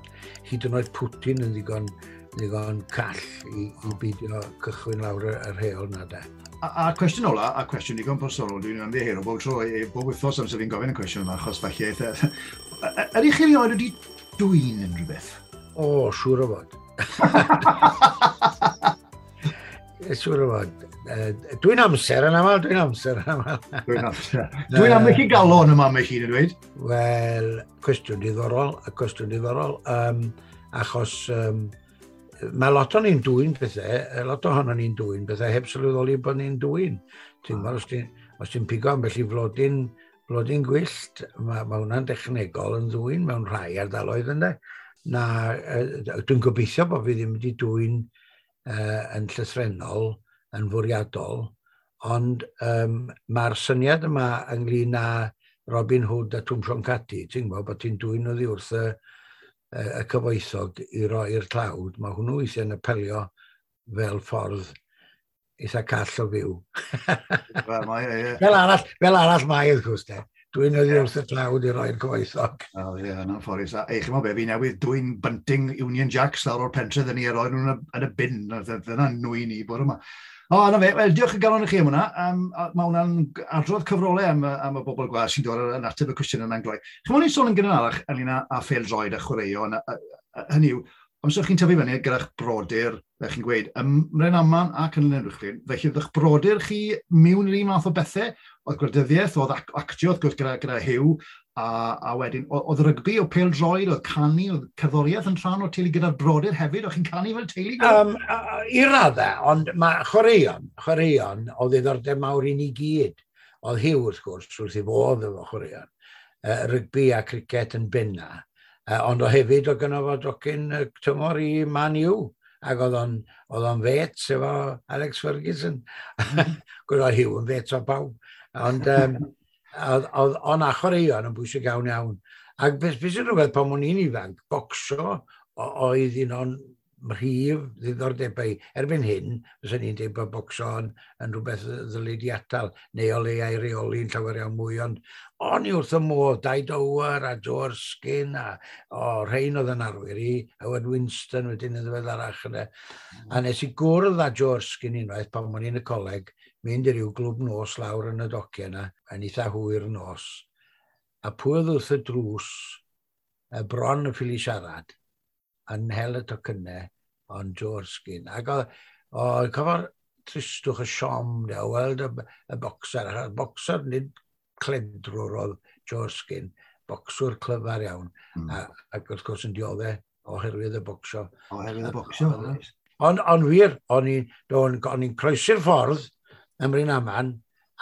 hyd yn oed Putin yn ddigon call i beidio cychwyn lawr yr heol na de. A cwestiwn ola, a cwestiwn digon personol, dwi'n ymddiheuro bob tro, bob wythnos amser fi'n gofyn y cwestiwn yma, achos falle eitha. Ydych chi erioed wedi dwyn unrhyw beth? O, siŵr o fod. Siŵr o fod. Dwi'n amser yn aml, dwi'n amser yn aml. Dwi'n amser. Dwi'n ambell i galon yma, mae chi'n dweud. Wel, cwestiwn diddorol, a cwestiwn diddorol, achos mae lot o'n ni'n dwyn pethau, lot ohono ni'n dwyn pethau heb sylweddoli bod ni'n dwyn. Ti'n gwybod, os ti'n pigo ambell i flodyn gwyllt, mae hwnna'n dechnegol yn ddwyn mewn rhai ardaloedd ynddo. Na, dwi'n gobeithio bod fi ddim wedi dwyn yn llythrennol, yn fwriadol, ond mae'r syniad yma ynglyn â Robin Hood a Twm Siôn Cati, ti'n gwybod bod ti'n dwyn oddi wrth y cyfoethog i roi'r tlawd, mae hwnnw weithiau'n apelio fel ffordd eitha call o fyw. Wel, mae, ie. Fel arall mae, wrth gwrs, de. Dwyn oddi wrth y tlawd i roi'r cyfoethog. O, ie, yna'n ffordd. A ei, chi'mo be, fi newydd dwyn bunting Union Jacks lawr o'r pentre ddyn ni a roi nhw'n yn y bin. Dyna nwyn i bore yma. O, na fe, wel, diolch yn galon i chi am hwnna. Mae hwnna'n adrodd cyfrolau am y bobl gwas sy'n dod yn ateb y cwestiwn yna'n gloi. Chi'mo, ni'n sôn yn gynharach ynglyn â phêl-droed a chwaraeon. Hynny yw, amser chi'n tyfu fyny gyda'ch brodyr, fel chi'n gweud, ym Mrynaman ac yn Llanuwchllyn, felly oedd eich brodyr chi mewn yr un math o bethau, oedd gwleidyddiaeth, oedd actio, wrth gwrs, gyda Huw, a wedyn, oedd rygbi, oedd pêl-droed, oedd canu, oedd cerddoriaeth yn rhan o'r teulu gyda'r brodyr hefyd, oedd chi'n canu fel teulu? I raddau, ond mae chwaraeon o ddiddordeb mawr i ni gyd. Oedd Huw, wrth gwrs, wrth ei fodd efo chwaraeon. Rygbi a cricet yn benna. Ond o hefyd oedd gynno fo docyn tymor i Man U. Ac oedd o'n fêts efo Alex Ferguson. Gwyd oedd Huw yn fêts o pawb. Ond oedd o'n a chwaraeon yn bwysig iawn iawn. Ac beth sy'n rhywbeth pan o'n i'n ifanc, bocsio oedd un o'n mhrif ddiddordebau. Erbyn hyn, fyswn i'n dweud bod bocsio yn rhywbeth ddylid i atal, neu o leia i reoli'n llawer iawn mwy, ond o'n i wrth y modd, Dai Dower a Joe Erskine, a o, rhain oedd yn arwyr i, Howard Winston wedyn yn ddiweddarach yna. A nes i gwrdd â Joe Erskine unwaith pan o'n i'n y coleg, mynd i ryw glwb nos lawr yn y dociau yna, yn eitha hwyr nos. A pwy oedd wrth y drws, y bron yn ffili siarad, yn hel y tocynnau, ond Joe Erskine. Ac oedd cyfo'r tristwch y siom, de, o weld y boxer. Y boxer nid cledrwr oedd Joe Erskine, bocswr clyfar iawn. Ac wrth gwrs yn dioddef oherwydd y bocsio. Oherwydd y bocsio, reit. Ond wir, o'n i'n croesi'r ffordd ym Mryn Aman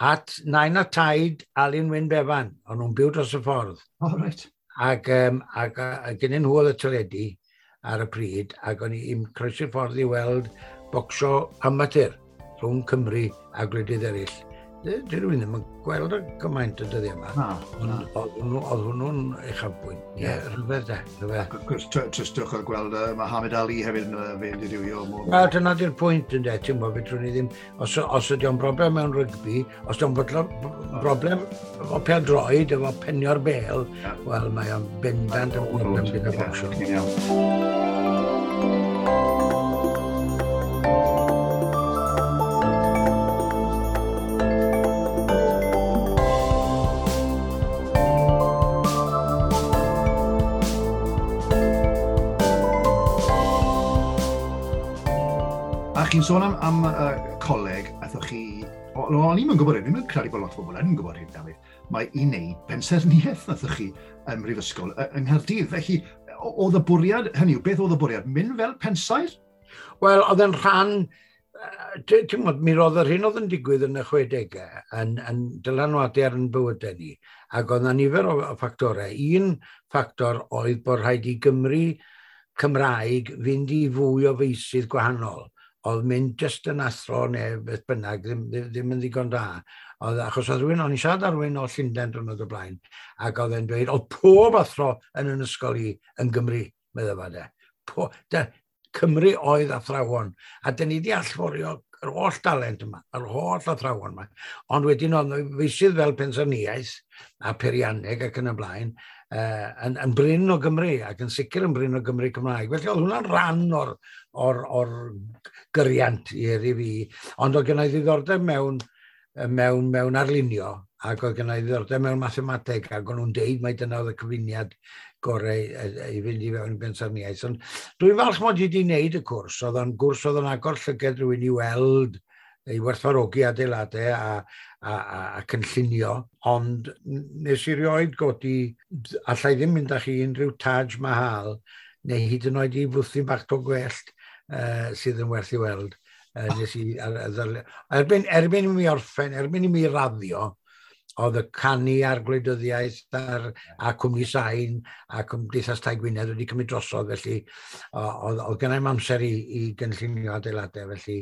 at nain a taid Alun Wyn Bevan. O'n nhw'n byw dros y ffordd. O, reit. Ac gennyn nhw oedd y teledu ar y pryd, ac o'n i'n croesi'r ffordd i weld bocsio amatur rhwng Cymru a gwledydd eraill. Dwi rhywun ddim yn gweld y gymaint y dyddiau yma. Na, na. Ond oedd hwnnw'n uchafbwynt. Ie, rhyfedd de, rhyfedd. Ac wrth gwrs, tristwch oedd gweld Muhammad Ali hefyd yn fe'n dirywio. Wel, dyna di'r pwynt ynde, ti'n gwybod, fedrwn ni ddim, os ydy o'n broblem mewn rygbi, os ydy o'n broblem efo pêl-droed, efo penio'r bêl, wel, mae o'n bendant yn broblem gyda bocsio. Ie, iawn. Chi'n sôn am coleg, aethoch chi... O'n i'm yn gwybod hyn, ddim yn credu bod lot o bobl yn gwybod hyn, Dafydd. Mae i wneud pensaernïaeth naethoch chi ym Mhrifysgol yng Nghaerdydd. Felly, oedd y bwriad, hynny yw, beth oedd y bwriad? Mynd fel pensaer? Wel, oedd yn rhan... Ti'n gwybod, mi roedd yr hyn oedd yn digwydd yn y 60au yn dylanwadu ar yn bywydau ni, ac oedd yna nifer o ffactorau. Un ffactor oedd bod rhaid i Gymru Cymraeg fynd i fwy o feysydd gwahanol. Oedd mynd jyst yn athro neu beth bynnag, ddim yn ddigon da. Oedd, achos oedd rhywun, o'n i'n siarad â rhywun o Llundain diwrnod o blaen, ac oedd e'n dweud, oedd pob athro yn yn ysgol i yn Gymru, meddai fo de. Cymru oedd athrawon, a dyn ni wedi allforio yr holl dalent yma, yr holl athrawon yma. Ond wedyn oedd feysydd fel pensaernïaeth a peirianneg ac yn y blaen, yn brin o Gymru, ac yn sicr yn brin o Gymru Cymraeg. Felly oedd hwnna'n rhan o'r gyriant i fi, ond oedd gennau ddiddordeb mewn arlunio, ac oedd gennau ddiddordeb mewn mathemateg, ac o'n nhw'n deud mai dyna oedd y cyfuniad gorau i fynd i fewn i bensaernïaeth. Ond dwi'n falch mod i wedi wneud y cwrs, oedd o'n gwrs oedd yn agor llygad rhywun i weld, i werthfawrogi adeiladau a cynllunio, ond nes i rioed godi, allai ddim mynd â chi unrhyw Taj Mahal, neu hyd yn oed i fwthyn bach to gwellt sydd yn werth i weld. Nes i, erbyn i mi orffen, erbyn i mi raddio, oedd y canu a'r gwleidyddiaeth a Cwmni Sain a Cymdeithas Tai Gwynedd wedi cymryd drosodd, felly oedd gennai'm amser i gynllunio adeiladau, felly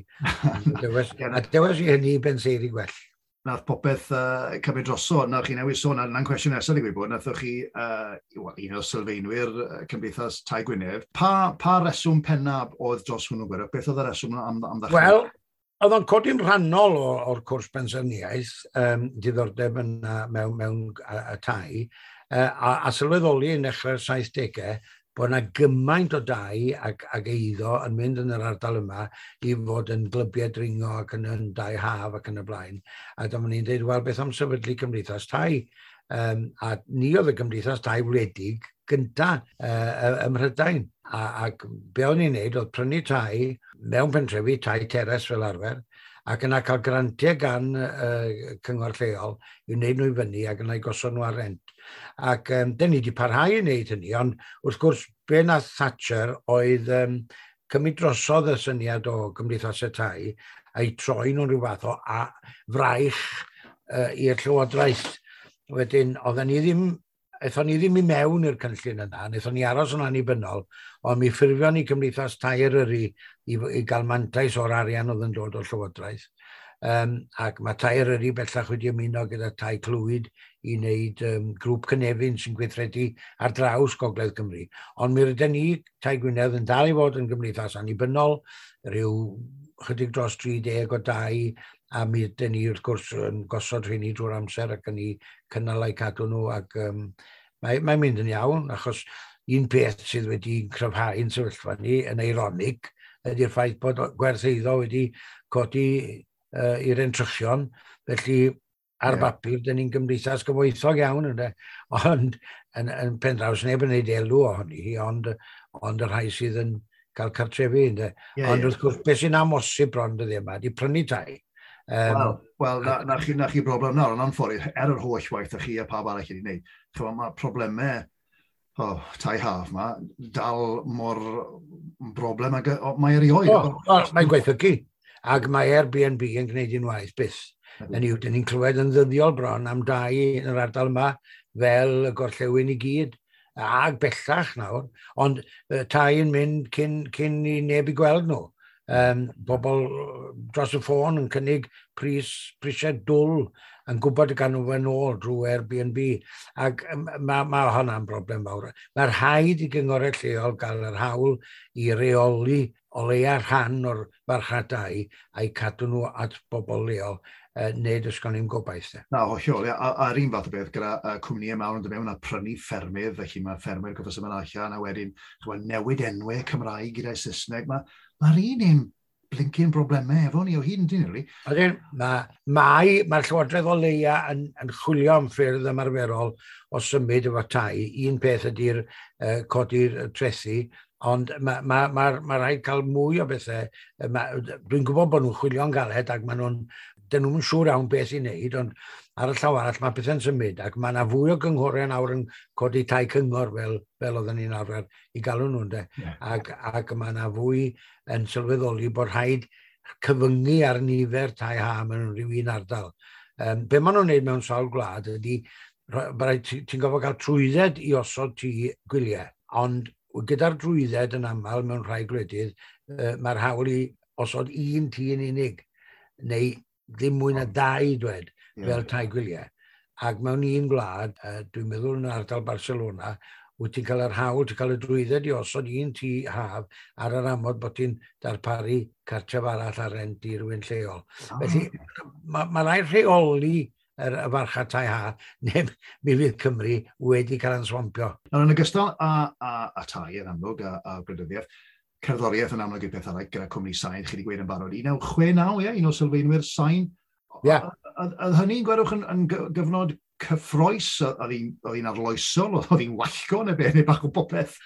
a dewis i hynny i benseiri gwell. Nath popeth cymryd drosodd, nawr chi newydd sôn, na'n cwestiwn nesaf i gwybod, nathoch chi un o sylfaenwyr Cymdeithas Tai Gwynedd. Pa reswm pennaf oedd dros hwnnw, Gwyrdd? Beth oedd y reswm am ddechrau? Wel, oedd o'n codi'n rhannol o'r cwrs pensaernïaeth, diddordeb yna mewn y tai, a sylweddoli yn dechrau'r 70au bod yna gymaint o dai ac eiddo yn mynd yn yr ardal yma i fod yn glybiau dringo ac yn dai haf ac yn y blaen. A dyma ni'n dweud, wel, beth am sefydlu Cymdeithas Tai? A ni oedd y Gymdeithas Tai wledig gynta ym Mhrydain. Ac be o'n i'n neud oedd prynu tai mewn pentrefi, tai teres fel arfer, ac yna cael grantiau gan cyngor lleol i wneud nhw i fyny ac yna i gosod nhw ar rent. Ac dyn ni wedi parhau i wneud hynny, ond wrth gwrs be nath Thatcher oedd cymryd drosodd y syniad o gymdeithasau tai a'i troi nhw'n rhyw fath o fraich i'r llywodraeth. Wedyn, oedden ni ddim, aethon ni ddim i mewn i'r cynllun yna, wnaethon ni aros yn annibynnol, ond mi ffurfion ni Cymdeithas Tai Eryri i gael mantais o'r arian oedd yn dod o'r llywodraeth. Ac mae Tai Eryri bellach wedi ymuno gyda Tai Clwyd i wneud grŵp cynefin sy'n gweithredu ar draws Gogledd Cymru. Ond mi rydyn ni, Tai Gwynedd, yn dal i fod yn gymdeithas annibynnol, rhyw chydig dros 30 o dai, a mi ydyn ni wrth gwrs yn gosod rheini drwy'r amser ac yn eu cynnal a'u cadw nhw, ac mae'n mynd yn iawn, achos un peth sydd wedi cryfhau'n sefyllfa ni yn eironig ydy'r ffaith bod gwerth eiddo wedi codi i'r entrychion, felly ar bapur, dyn ni'n gymdeithas gyfoethog iawn, ynde? Ond yn pen draw, neb yn gwneud elw ohoni hi, ond y rhai sydd yn cael cartrefi, ynde? Ond wrth gwrs, beth sy'n amhosib bron dyddiau yma, di prynu tai. Wel, na chi broblem nawr, ond anffodus, er yr holl waith a chi a pawb arall wedi gwneud, chymod, mae problemau tai haf ma dal mor broblem ag mae erioed. O, mae'n gwaethygu. Ac mae Airbnb yn gwneud un waeth byth. Hynny yw, dyn ni'n clywed yn ddyddiol bron am dai yn yr ardal yma fel y gorllewin i gyd, ag bellach nawr, ond tai yn mynd cyn i neb i gweld nhw. Bobl dros y ffôn yn cynnig prisiau dwl yn gwybod y gan nhw yn ôl drwy Airbnb. Ac ma hwnna'n broblem fawr. Mae rhaid i gyngorau lleol gael yr hawl i reoli o leia rhan o'r farchnad dai a'i cadw nhw at bobl leol, neu does gen i'm gobaith, de. Na, hollol, ia. A'r un fath o beth gyda cwmnïau mawr yn dod mewn a prynu ffermydd, felly mae ffermwyr gorfod symud allan a wedyn, chymod, newid enwau Cymraeg gyda'i Saesneg. Mae'r un blincyn broblemau efo ni o hyd yn dyn, really. Ydyn, mae'r Llywodraeth o leia yn chwilio am ffyrdd ymarferol o symud efo tai. Un peth ydy'r codi'r trethi, ond ma rhaid cael mwy o bethau. Dwi'n gwybod bod nhw'n chwilio'n galed ac maen nhw'n, dyn nhw'n siŵr iawn beth i wneud, ond ar y llaw arall mae pethau'n symud ac mae yna fwy o gynghorau nawr yn codi tai cyngor fel oedden ni'n arfer i galw nhw'n de. Ac mae yna fwy yn sylweddoli bod rhaid cyfyngu ar nifer tai ha mewn rhyw un ardal. Be maen nhw'n wneud mewn sawl gwlad ydy, ti'n gorfod cael trwydded i osod tŷ gwyliau, ond gyda'r drwydded yn aml mewn rhai gwledydd, mae'r hawl i osod un tŷ yn unig, neu ddim mwy na dau, dwed, fel tai gwyliau. Ac mewn un gwlad, dwi'n meddwl yn ardal Barcelona, wyt ti'n cael yr hawl, ti'n cael y drwydded i osod un tŷ haf ar yr amod bod ti'n darparu cartref arall ar rent i rywun lleol. Felly, ma rhaid rheoli y farchnad tai ha, neu mi fydd Cymru wedi cael yn swampio. Nawr, yn ogystal â tai yn amlwg a gwleidyddiaeth, cerddoriaeth yn amlwg yw'r peth arall gyda cwmni Sain, chi wedi gweud yn barod. 1969, ie, un o sylfaenwyr Sain. Ie. Oedd hynny'n gwerwch yn gyfnod cyffrous, oedd hi'n arloesol, oedd hi'n wallgo neu beth, neu bach o bopeth?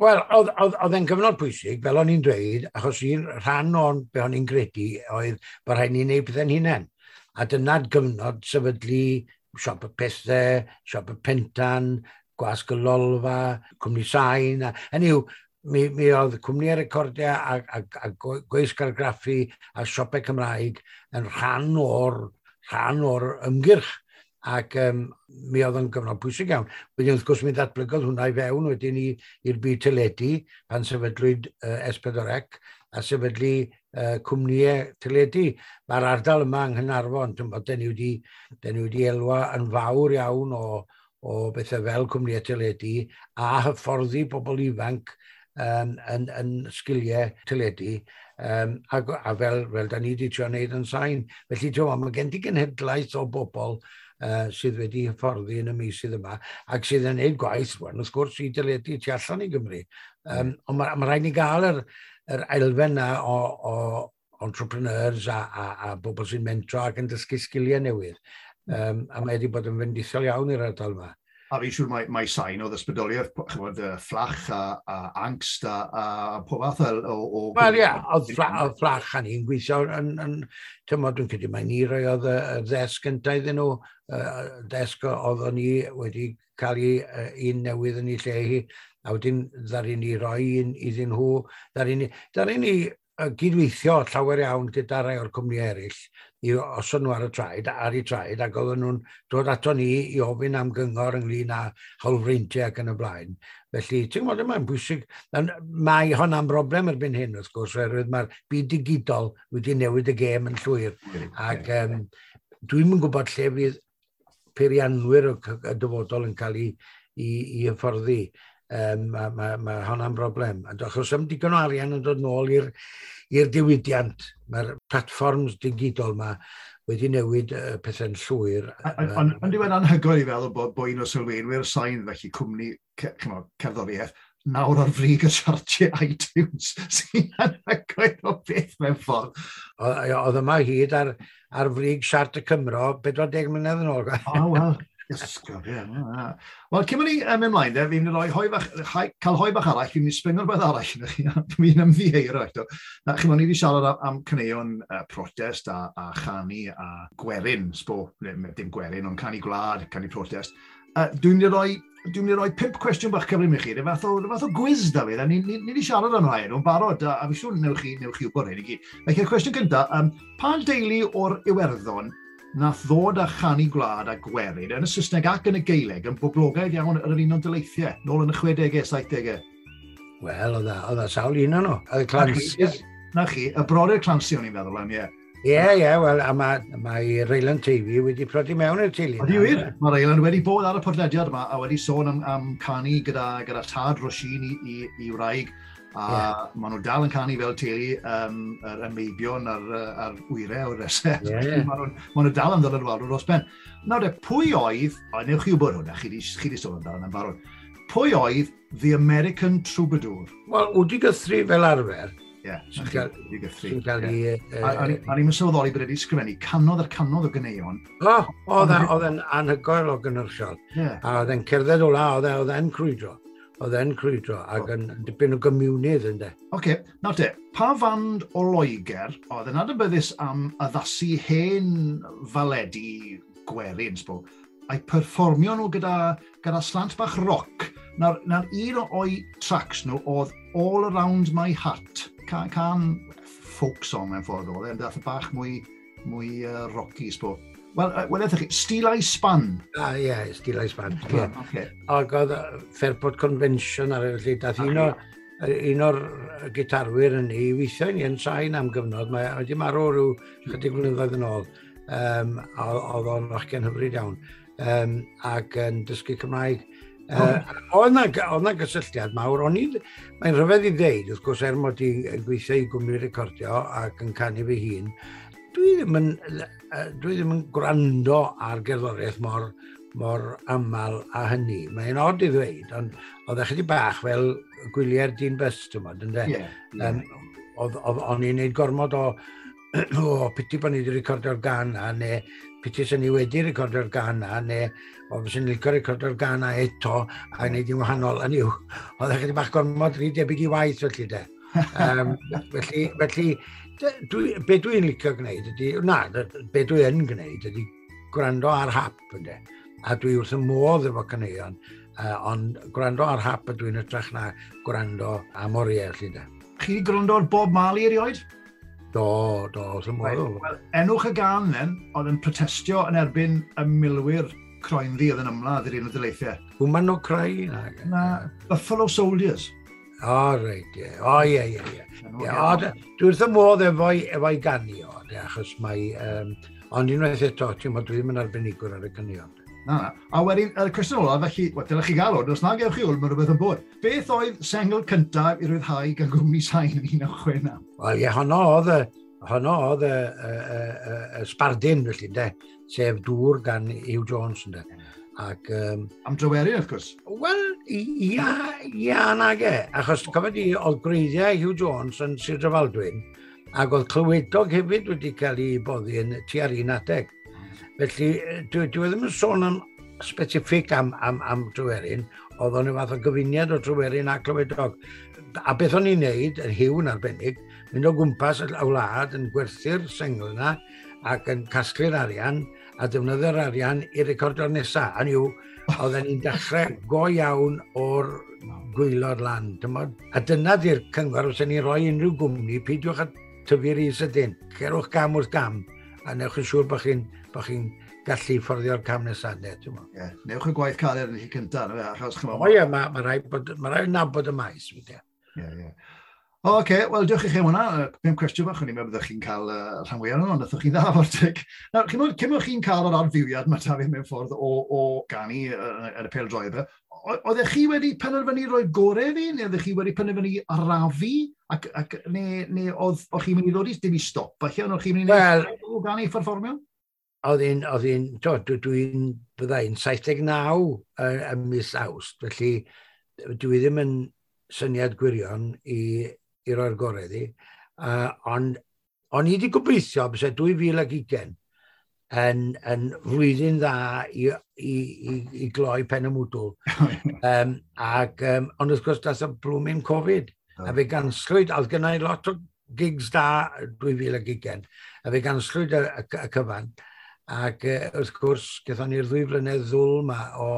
Wel, oedd e'n gyfnod pwysig, fel o'n i'n dweud, achos un rhan o'n be o'n i'n gredu oedd bod rhaid ni wneud pethau'n hunain. A dyna'r gyfnod sefydlu Siop y Pethau, Siop y Pentan, Gwasg y Lolfa, Cwmni Sain. Hynny yw, mi oedd cwmnïau recordiau a gweisg argraffu a siopau Cymraeg yn rhan o'r ymgyrch. Ac mi oedd yn gyfnod pwysig iawn. Wedyn wrth gwrs mi ddatblygodd hwnna i fewn wedyn i'r byd teledu pan sefydlwyd S4C a sefydlu cwmnïau teledu. Mae'r ardal yma yng Nghaernarfon, ti'n bod, dyn ni wedi elwa yn fawr iawn o bethau fel cwmnïau teledu a hyfforddi bobl ifanc yn sgiliau teledu a fel da ni wedi trio wneud yn Sain. Felly, ti'n gwbod, mae gen ti genhedlaeth o bobl sydd wedi hyfforddi yn y meysydd yma ac sydd yn gwneud gwaith, rwan, wrth gwrs, i deledu tu allan i Gymru. Ond ma rhaid ni gael yr elfen na o entrepreneurs a bobl sy'n mentro ac yn dysgu sgiliau newydd. A mae wedi bod yn fendithiol iawn i'r ardal yma. A fi'n siŵr mai Sain oedd ysbrydoliaeth, chymod, Fflach a Ankst a pob fath o Wel ie, oedd Fflach a ni'n gweithio yn tymod, dwi'n credu mai ni roi oedd y ddesg gyntaf iddyn nhw, desg oedd ni wedi cael ei un newydd yn ei lle hi, a wedyn ddaru ni roi un iddyn nhw, ddaru ni gydweithio llawer iawn gyda rai o'r cwmni eraill i osod nhw ar y traed, ar eu traed, ac oedden nhw'n dod ato ni i ofyn am gyngor ynglyn â hawlfreintiau ac yn y blaen. Felly, ti'n gwybod, mae'n bwysig. Mae hon am broblem erbyn hyn, wrth gwrs, oherwydd mae'r byd digidol wedi newid y gêm yn llwyr. Ac dwi'n yn gwybod lle fydd peirianwyr y dyfodol yn cael ei hyfforddi. Mae hwnna'n broblem. Achos am digon o arian yn dod nôl i'r diwydiant, mae'r platfforms digidol yma wedi newid pethau'n llwyr. Ond diwedd anhygoel i feddwl bod un o sylfaenwyr Sain, felly cwmni cerddoriaeth, nawr ar frig y siartiau iTunes, sy'n anhygoel o beth mewn ffordd. Oedd yma hyd ar frig siart y Cymro 40 mlynedd yn ôl. O, wel. Ysgol, ie. Wel, cyn ni mynd ymlaen, de, fi'n mynd i roi hoe bach, cael hoe bach arall, fi'n mynd i sbringo rhywbeth arall yn chi, fi'n ymddiheuro eto. Na, chi'n ni wedi siarad am caneuon protest a chanu a gwerin, sbo, dim gwerin, ond canu gwlad, canu protest. Dwi'n mynd i roi 5 cwestiwn bach cyflym i chi, rhyw fath o gwiz, Dafydd, a ni wedi siarad am rhai nhw'n barod, a fi siŵr newch chi wybod hyn i gyd. Felly, y cwestiwn gyntaf, pa deulu o'r Iwerddon nath ddod â chanu gwlad a gwerin yn y Saesneg ac yn y Gaeleg yn boblogaidd iawn yn yr Unol Daleithiau, nôl yn y 60au, 70au? Wel, oedd e sawl un o'n nhw. Oedd y Clancy's. Na chi, y brodyr Clancy o'n i'n feddwl am, ie. Ie, wel, a mae Raylan Teifi wedi prodi mewn i'r teulu. Ydy wir, mae Raylan wedi bod ar y podlediad yma a wedi sôn am canu gyda tad Roisin i wraig, a maen nhw dal yn canu fel teulu, yr meibion a'r wyre o'r resau. Yeah. Maen nhw dal yn ddylanwadol dros ben. Nawr de, pwy oedd, o, newch chi wybod hwnna, chi di sôn amdano yn barod, pwy oedd The American Troubadour? Wel, Woody Guthrie fel arfer. Ie, Woody Guthrie. Sy'n cael ei... A ni'n sylweddoli bod wedi sgrifennu cannoedd ar cannoedd o ganeuon. O, oedd e'n anhygoel o gynhyrchiol. A oedd e'n cerdded o la, oedd e'n crwydro. Oedd e'n crwydro ac yn dipyn o gymiwnydd, ynddo. Oce, okay. Nawr te, pa fand o Loegr oedd yn adnabyddus am addasu hen faledi gwerin, sbo, a'i perfformio nhw gyda slant bach roc? Nawr un o'i tracks nhw oedd All Around My Heart, can folk song mewn ffordd oedd e, ond dath bach mwy rocky, sbo. Wel, ethach chi, Steeleye Span. Ah, ie, yeah, Steeleye Span. Yeah. Okay. Ac oedd Fairport Convention ar y felly, dath un o'r gitarwyr yn ei weithio i ni yn Sain am gyfnod, mae wedi marw rhyw chydig blynyddoedd yn ôl. Oedd o'n fachgen hyfryd iawn. Ac yn dysgu Cymraeg. Oedd na gysylltiad mawr, o'n i, mae'n rhyfedd i ddeud, wrth gwrs, er mod i'n gweithio i gwmni recordio ac yn canu fy hun, dwi ddim yn gwrando ar gerddoriaeth mor aml a hynny. Mae'n od i ddweud, ond oedd ychydig bach fel gwyliau'r dyn bus, ti'n modd, ynde? Yeah. O'n i'n neud gormod o piti bod ni wedi recordio'r gan na, neu piti sy'n ni wedi recordio'r gan na, neu o fyswn ni'n licio recordio'r gan na eto, a wneud i'n wahanol. Hynny yw, oedd ychydig bach gormod rhy debyg i waith felly de. Felly, be dwi'n licio gwneud ydy, na, be dwi yn gwneud ydy gwrando ar hap, ynde. A dwi wrth y modd efo caneuon, ond gwrando ar hap ydw i'n ytrach na gwrando am oriau, felly de. Chi wedi gwrando ar Bob Marley erioed? Do, wrth y modd. Wel, enwch y gan then, oedd yn protestio yn erbyn y milwyr croenddu oedd yn ymladd i'r Unol Daleithiau. Woman No Cry? Na, Buffalo Soldiers. O, reit, ie. O, ie. O, dwi wrth y modd efo'i ganu o, de, achos mae... Ond unwaith eto, ti'n bod, dwi ddim yn arbenigwr ar y caneuon. Na. A wedyn, y cwestiwn olaf, felly, wel, dylech chi gael hwn, os na gewch chi hwn, mae rhywbeth yn bod. Beth oedd sengl cyntaf i ryddhau gan gwmni Sain yn 1969? Wel, ie, honno oedd y sbardun, felly, de, sef Dŵr gan Huw Jones, ynde. Ac, Am Dryweryn, wrth gwrs. Wel, ia nag e. Achos, cofio di, oedd gwreiddiau Huw Jones yn Sir Drefaldwyn, ac oedd Clywedog hefyd wedi cael ei boddi yn tua'r un adeg. Felly, dwi ddim yn sôn am specific am Dryweryn, oedd o'n fath o gyfuniad o Dryweryn a Clywedog. A beth o'n i'n neud, yn Huw yn arbennig, Mynd o gwmpas y wlad yn gwerthu'r sengl yna ac yn casglu'r arian a defnyddio'r arian i recordio'r nesaf. A niw, oedden ni'n dechrau go iawn o'r gwaelod lan. Tymod? A dyna di'r cyngor os ni'n rhoi unrhyw gwmni, peidiwch â tyfu rhy sydyn. Cerwch gam wrth gam a newch yn siŵr bod chi'n bo chi gallu fforddio'r cam nesaf. Ne, yeah, newch y gwaith caled yn y lle cyntaf, na fe, achos chymod... O ie, mae ma rhaid, bod, ma rhaid nabod y maes. Ie, ie. O, oce, okay. Wel, diolch i chi am hwnna. 5 cwestiwn bach, o'n i'n meddwl byddech chi'n cael rhan fwyaf nhw, ond naethoch chi'n dda fo'r tig. Nawr, chi'n cyn bod chi'n cael yr adfywiad mae Dafydd mewn ffordd o ganu yn y pêl-droed, oeddech chi wedi penderfynu rhoi gorau fi, neu oeddech chi wedi penderfynu arafu, ac neu oedd chi'n mynd i ddod i dim i stop, falle, ond oedd chi'n mynd i well, o ganu perfformio? Oedd hi'n, dwi'n, byddai'n 79 ym mis Awst, felly dwi ddim yn syniad gwirion i roi'r gorau iddi. Ond o'n i wedi gobeithio byse 2020 yn flwyddyn dda i gloi pen y mwdwl. Ond wrth gwrs, dath y blwmyn Covid. A fe ganslwyd, a oedd gennau lot o gigs da 2020, a fe ganslwyd y cyfan. Ac wrth gwrs, gaethon ni'r 2 flynedd ddwl ma o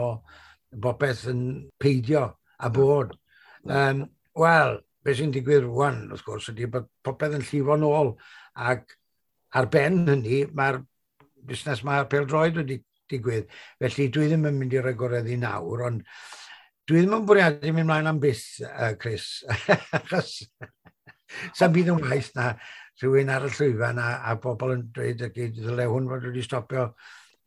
bopeth yn peidio a bod. Wel, beth sy'n digwydd rwan, wrth gwrs, ydy bod popeth yn llifo nôl. Ac ar ben hynny, mae'r busnes mae'r pêl-droed wedi digwydd. Felly dwi ddim yn mynd i roi gorau iddi nawr, ond dwi ddim yn bwriadu mynd mlaen am byth, Chris. Achos sa'm byd yn waeth na rhywun ar y llwyfan a bobl yn dweud y gyd ddyle hwn fod wedi stopio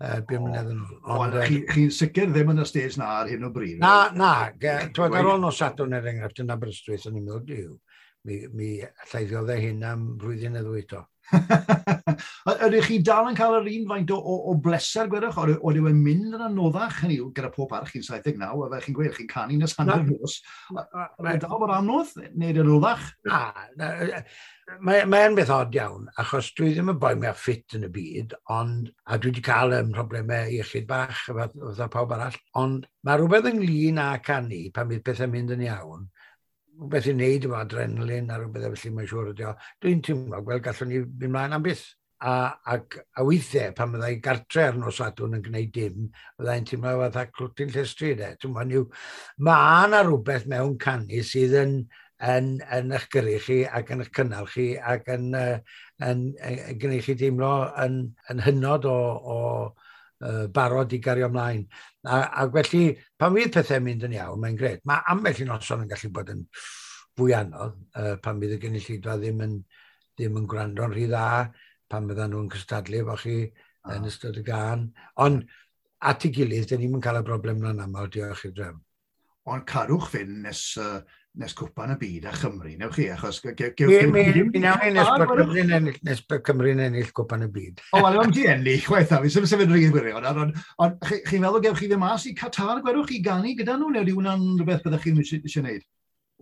5 mlynedd yn ôl. Ond chi'n chi sicr ddim yn y stage na ar hyn o bryd? Na, na. Twyd, ar ôl nos Sadwrn er enghraifft yn Aberystwyth, o'n i'n meddwl, diw, mi allai ddioddau hyn am flwyddyn neu ddwy to. Ydych chi dal yn cael yr un faint o bleser, gwedwch, o yw e'n mynd yn anoddach, hynny yw, gyda pob parch chi'n 79, a fe chi'n gweud, chi'n canu nes hanner nos. Mae'n dal bod anodd, neu yn anoddach? Na, mae'n mae beth od iawn, achos dwi ddim yn boi mwyaf ffit yn y byd, ond, a dwi wedi cael problemau iechyd bach, fatha pawb arall, ond mae rhywbeth ynglyn â canu pan bydd pethau'n mynd yn iawn, rhywbeth i wneud efo adrenalin a rhywbeth felly mae'n siŵr ydi o. Dwi'n teimlo, wel, gallwn ni fynd mlaen am byth. A weithiau, pan byddai gartre ar nos Sadwrn yn gwneud dim, byddai'n teimlo fatha clwtyn llestri, de. Ti'n gwbod, mae yna rhywbeth mewn canu sydd yn eich gyrru chi ac yn eich cynnal chi ac yn gwneud chi deimlo yn hynod o barod i gario ymlaen. A felly, pan fydd pethau'n mynd yn iawn, mae'n gret. Mae ambell i noson yn gallu bod yn fwy anodd, pan fydd y gynulleidfa ddim yn gwrando'n rhy dda, pan fyddan nhw'n cystadlu efo chi yn ystod y gân. Ond at ei gilydd, dyn ni'n cael y broblem na'n aml, diolch i'r drefn. Ond cadwch fynd nes cwpan y byd a Chymru, newch chi, achos Mi nawn ni nes bod Cymru'n ennill cwpan y byd. O, wel, am ti ennill, chwaith, fi sy'n sefyll rhy gwirion, ond chi'n meddwl gewch chi ddim mas i Qatar, gwedwch chi, ganu gyda nhw, neu ydy hwnna'n rhywbeth byddech chi'n eisiau gwneud?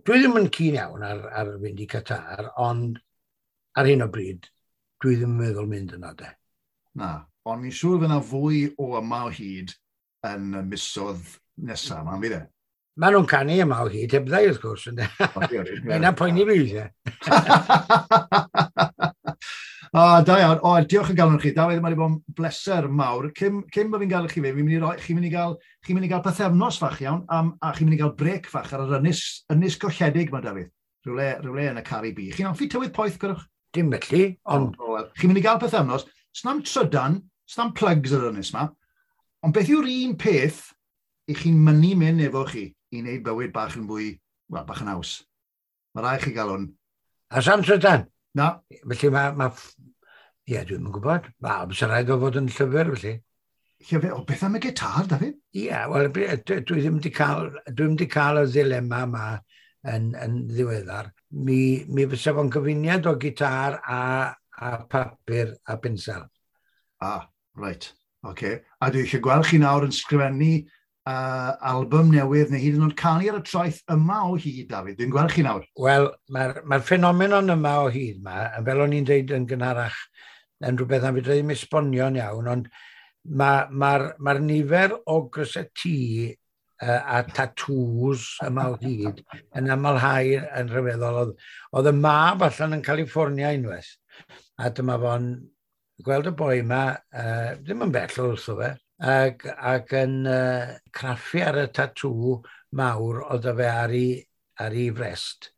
Dwi ddim yn keen iawn ar fynd i Qatar, ond ar hyn o bryd, dwi ddim yn meddwl mynd yna, de. Na, ond mi'n siŵr fydd yna fwy o Yma o Hyd yn y misoedd nesaf, ma'n fydd e? Maen nhw'n canu Yma o Hyd, heb ddau wrth gwrs. Mae'n poeni fi weithiau. O, da iawn. O, diolch yn galon chi. Dafydd, mae wedi bod yn bleser mawr. Cyn bod fi'n gael chi fe, chi'n mynd i gael, chi'n mynd i gael pythefnos fach iawn, a chi'n mynd i gael brec fach ar yr ynys golledig ma, Dafydd. Rhywle yn y Caribi. Chi'n hoffi tywydd poeth, gwrwch? Dim felly, ond O, wel, chi'n mynd i gael pythefnos. Snam trydan, snam plugs ar yr ynys ma. Ond beth yw'r un peth i chi'n mynnu mynd efo chi i wneud bywyd bach yn fwy, wel, bach yn haws? Mae rhaid chi gael hwn. A sam trydan? Na. Felly mae ie, dwi'n yn gwybod. Mae, bysa rhaid o fod yn llyfr, felly. Llyfr, o, beth am y gitar, Dafydd? Ie, wel, dwi ddim wedi cael y ddilema yma yn ddiweddar. Mi fysa fo'n gyfuniad o gitar a papur a pensel. Ah, reit. Oce. Okay. A dwi eisiau gweld chi nawr yn sgrifennu album newydd neu hyd yn oed canu ar y traeth Yma o Hyd, Dafydd. Dwi'n gweld chi nawr. Wel, mae'r mae ffenomenon Yma o Hyd yma, fel o'n i'n dweud yn gynharach, yn rhywbeth na fedra ddim esbonio'n iawn, ond mae'r ma, ma nifer o grysau T a tattoos Yma o Hyd yn amlhau yn rhyfeddol. Oedd y mab allan yn California unwaith, a dyma fo'n gweld y boi yma, ddim yn bell wrtho fe, ac yn craffu ar y tatŵ mawr oedd fe ar ei frest.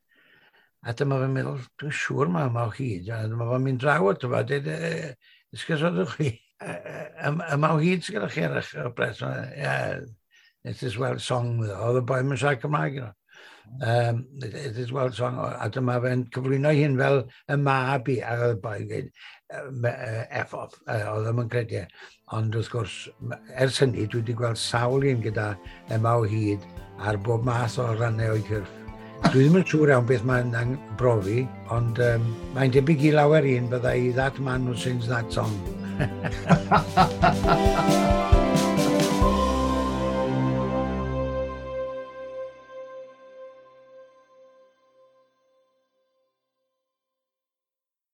A dyma fe'n meddwl, "Dwi'n siŵr mae Yma o Hyd." A dyma fe'n mynd draw ato fe, dweud, "Esgusodwch chi, Yma o Hyd sydd gyda chi ar eich brest?" "Yeah, it's this Welsh song." Oedd y boi yn siarad Cymraeg. "It is Welsh song." A dyma fe'n cyflwyno hyn fel y mab i, a oedd y boi'n gweud, "F off," oedd ddim yn credu. E. Ond wrth gwrs, ers hynny, dwi wedi gweld sawl un gyda Yma o Hyd ar bob math o rannau o'i cyrff. Dwi ddim yn siŵr iawn beth mae'n brofi, ond mae'n debyg i lawer un byddai "that man who sings that song".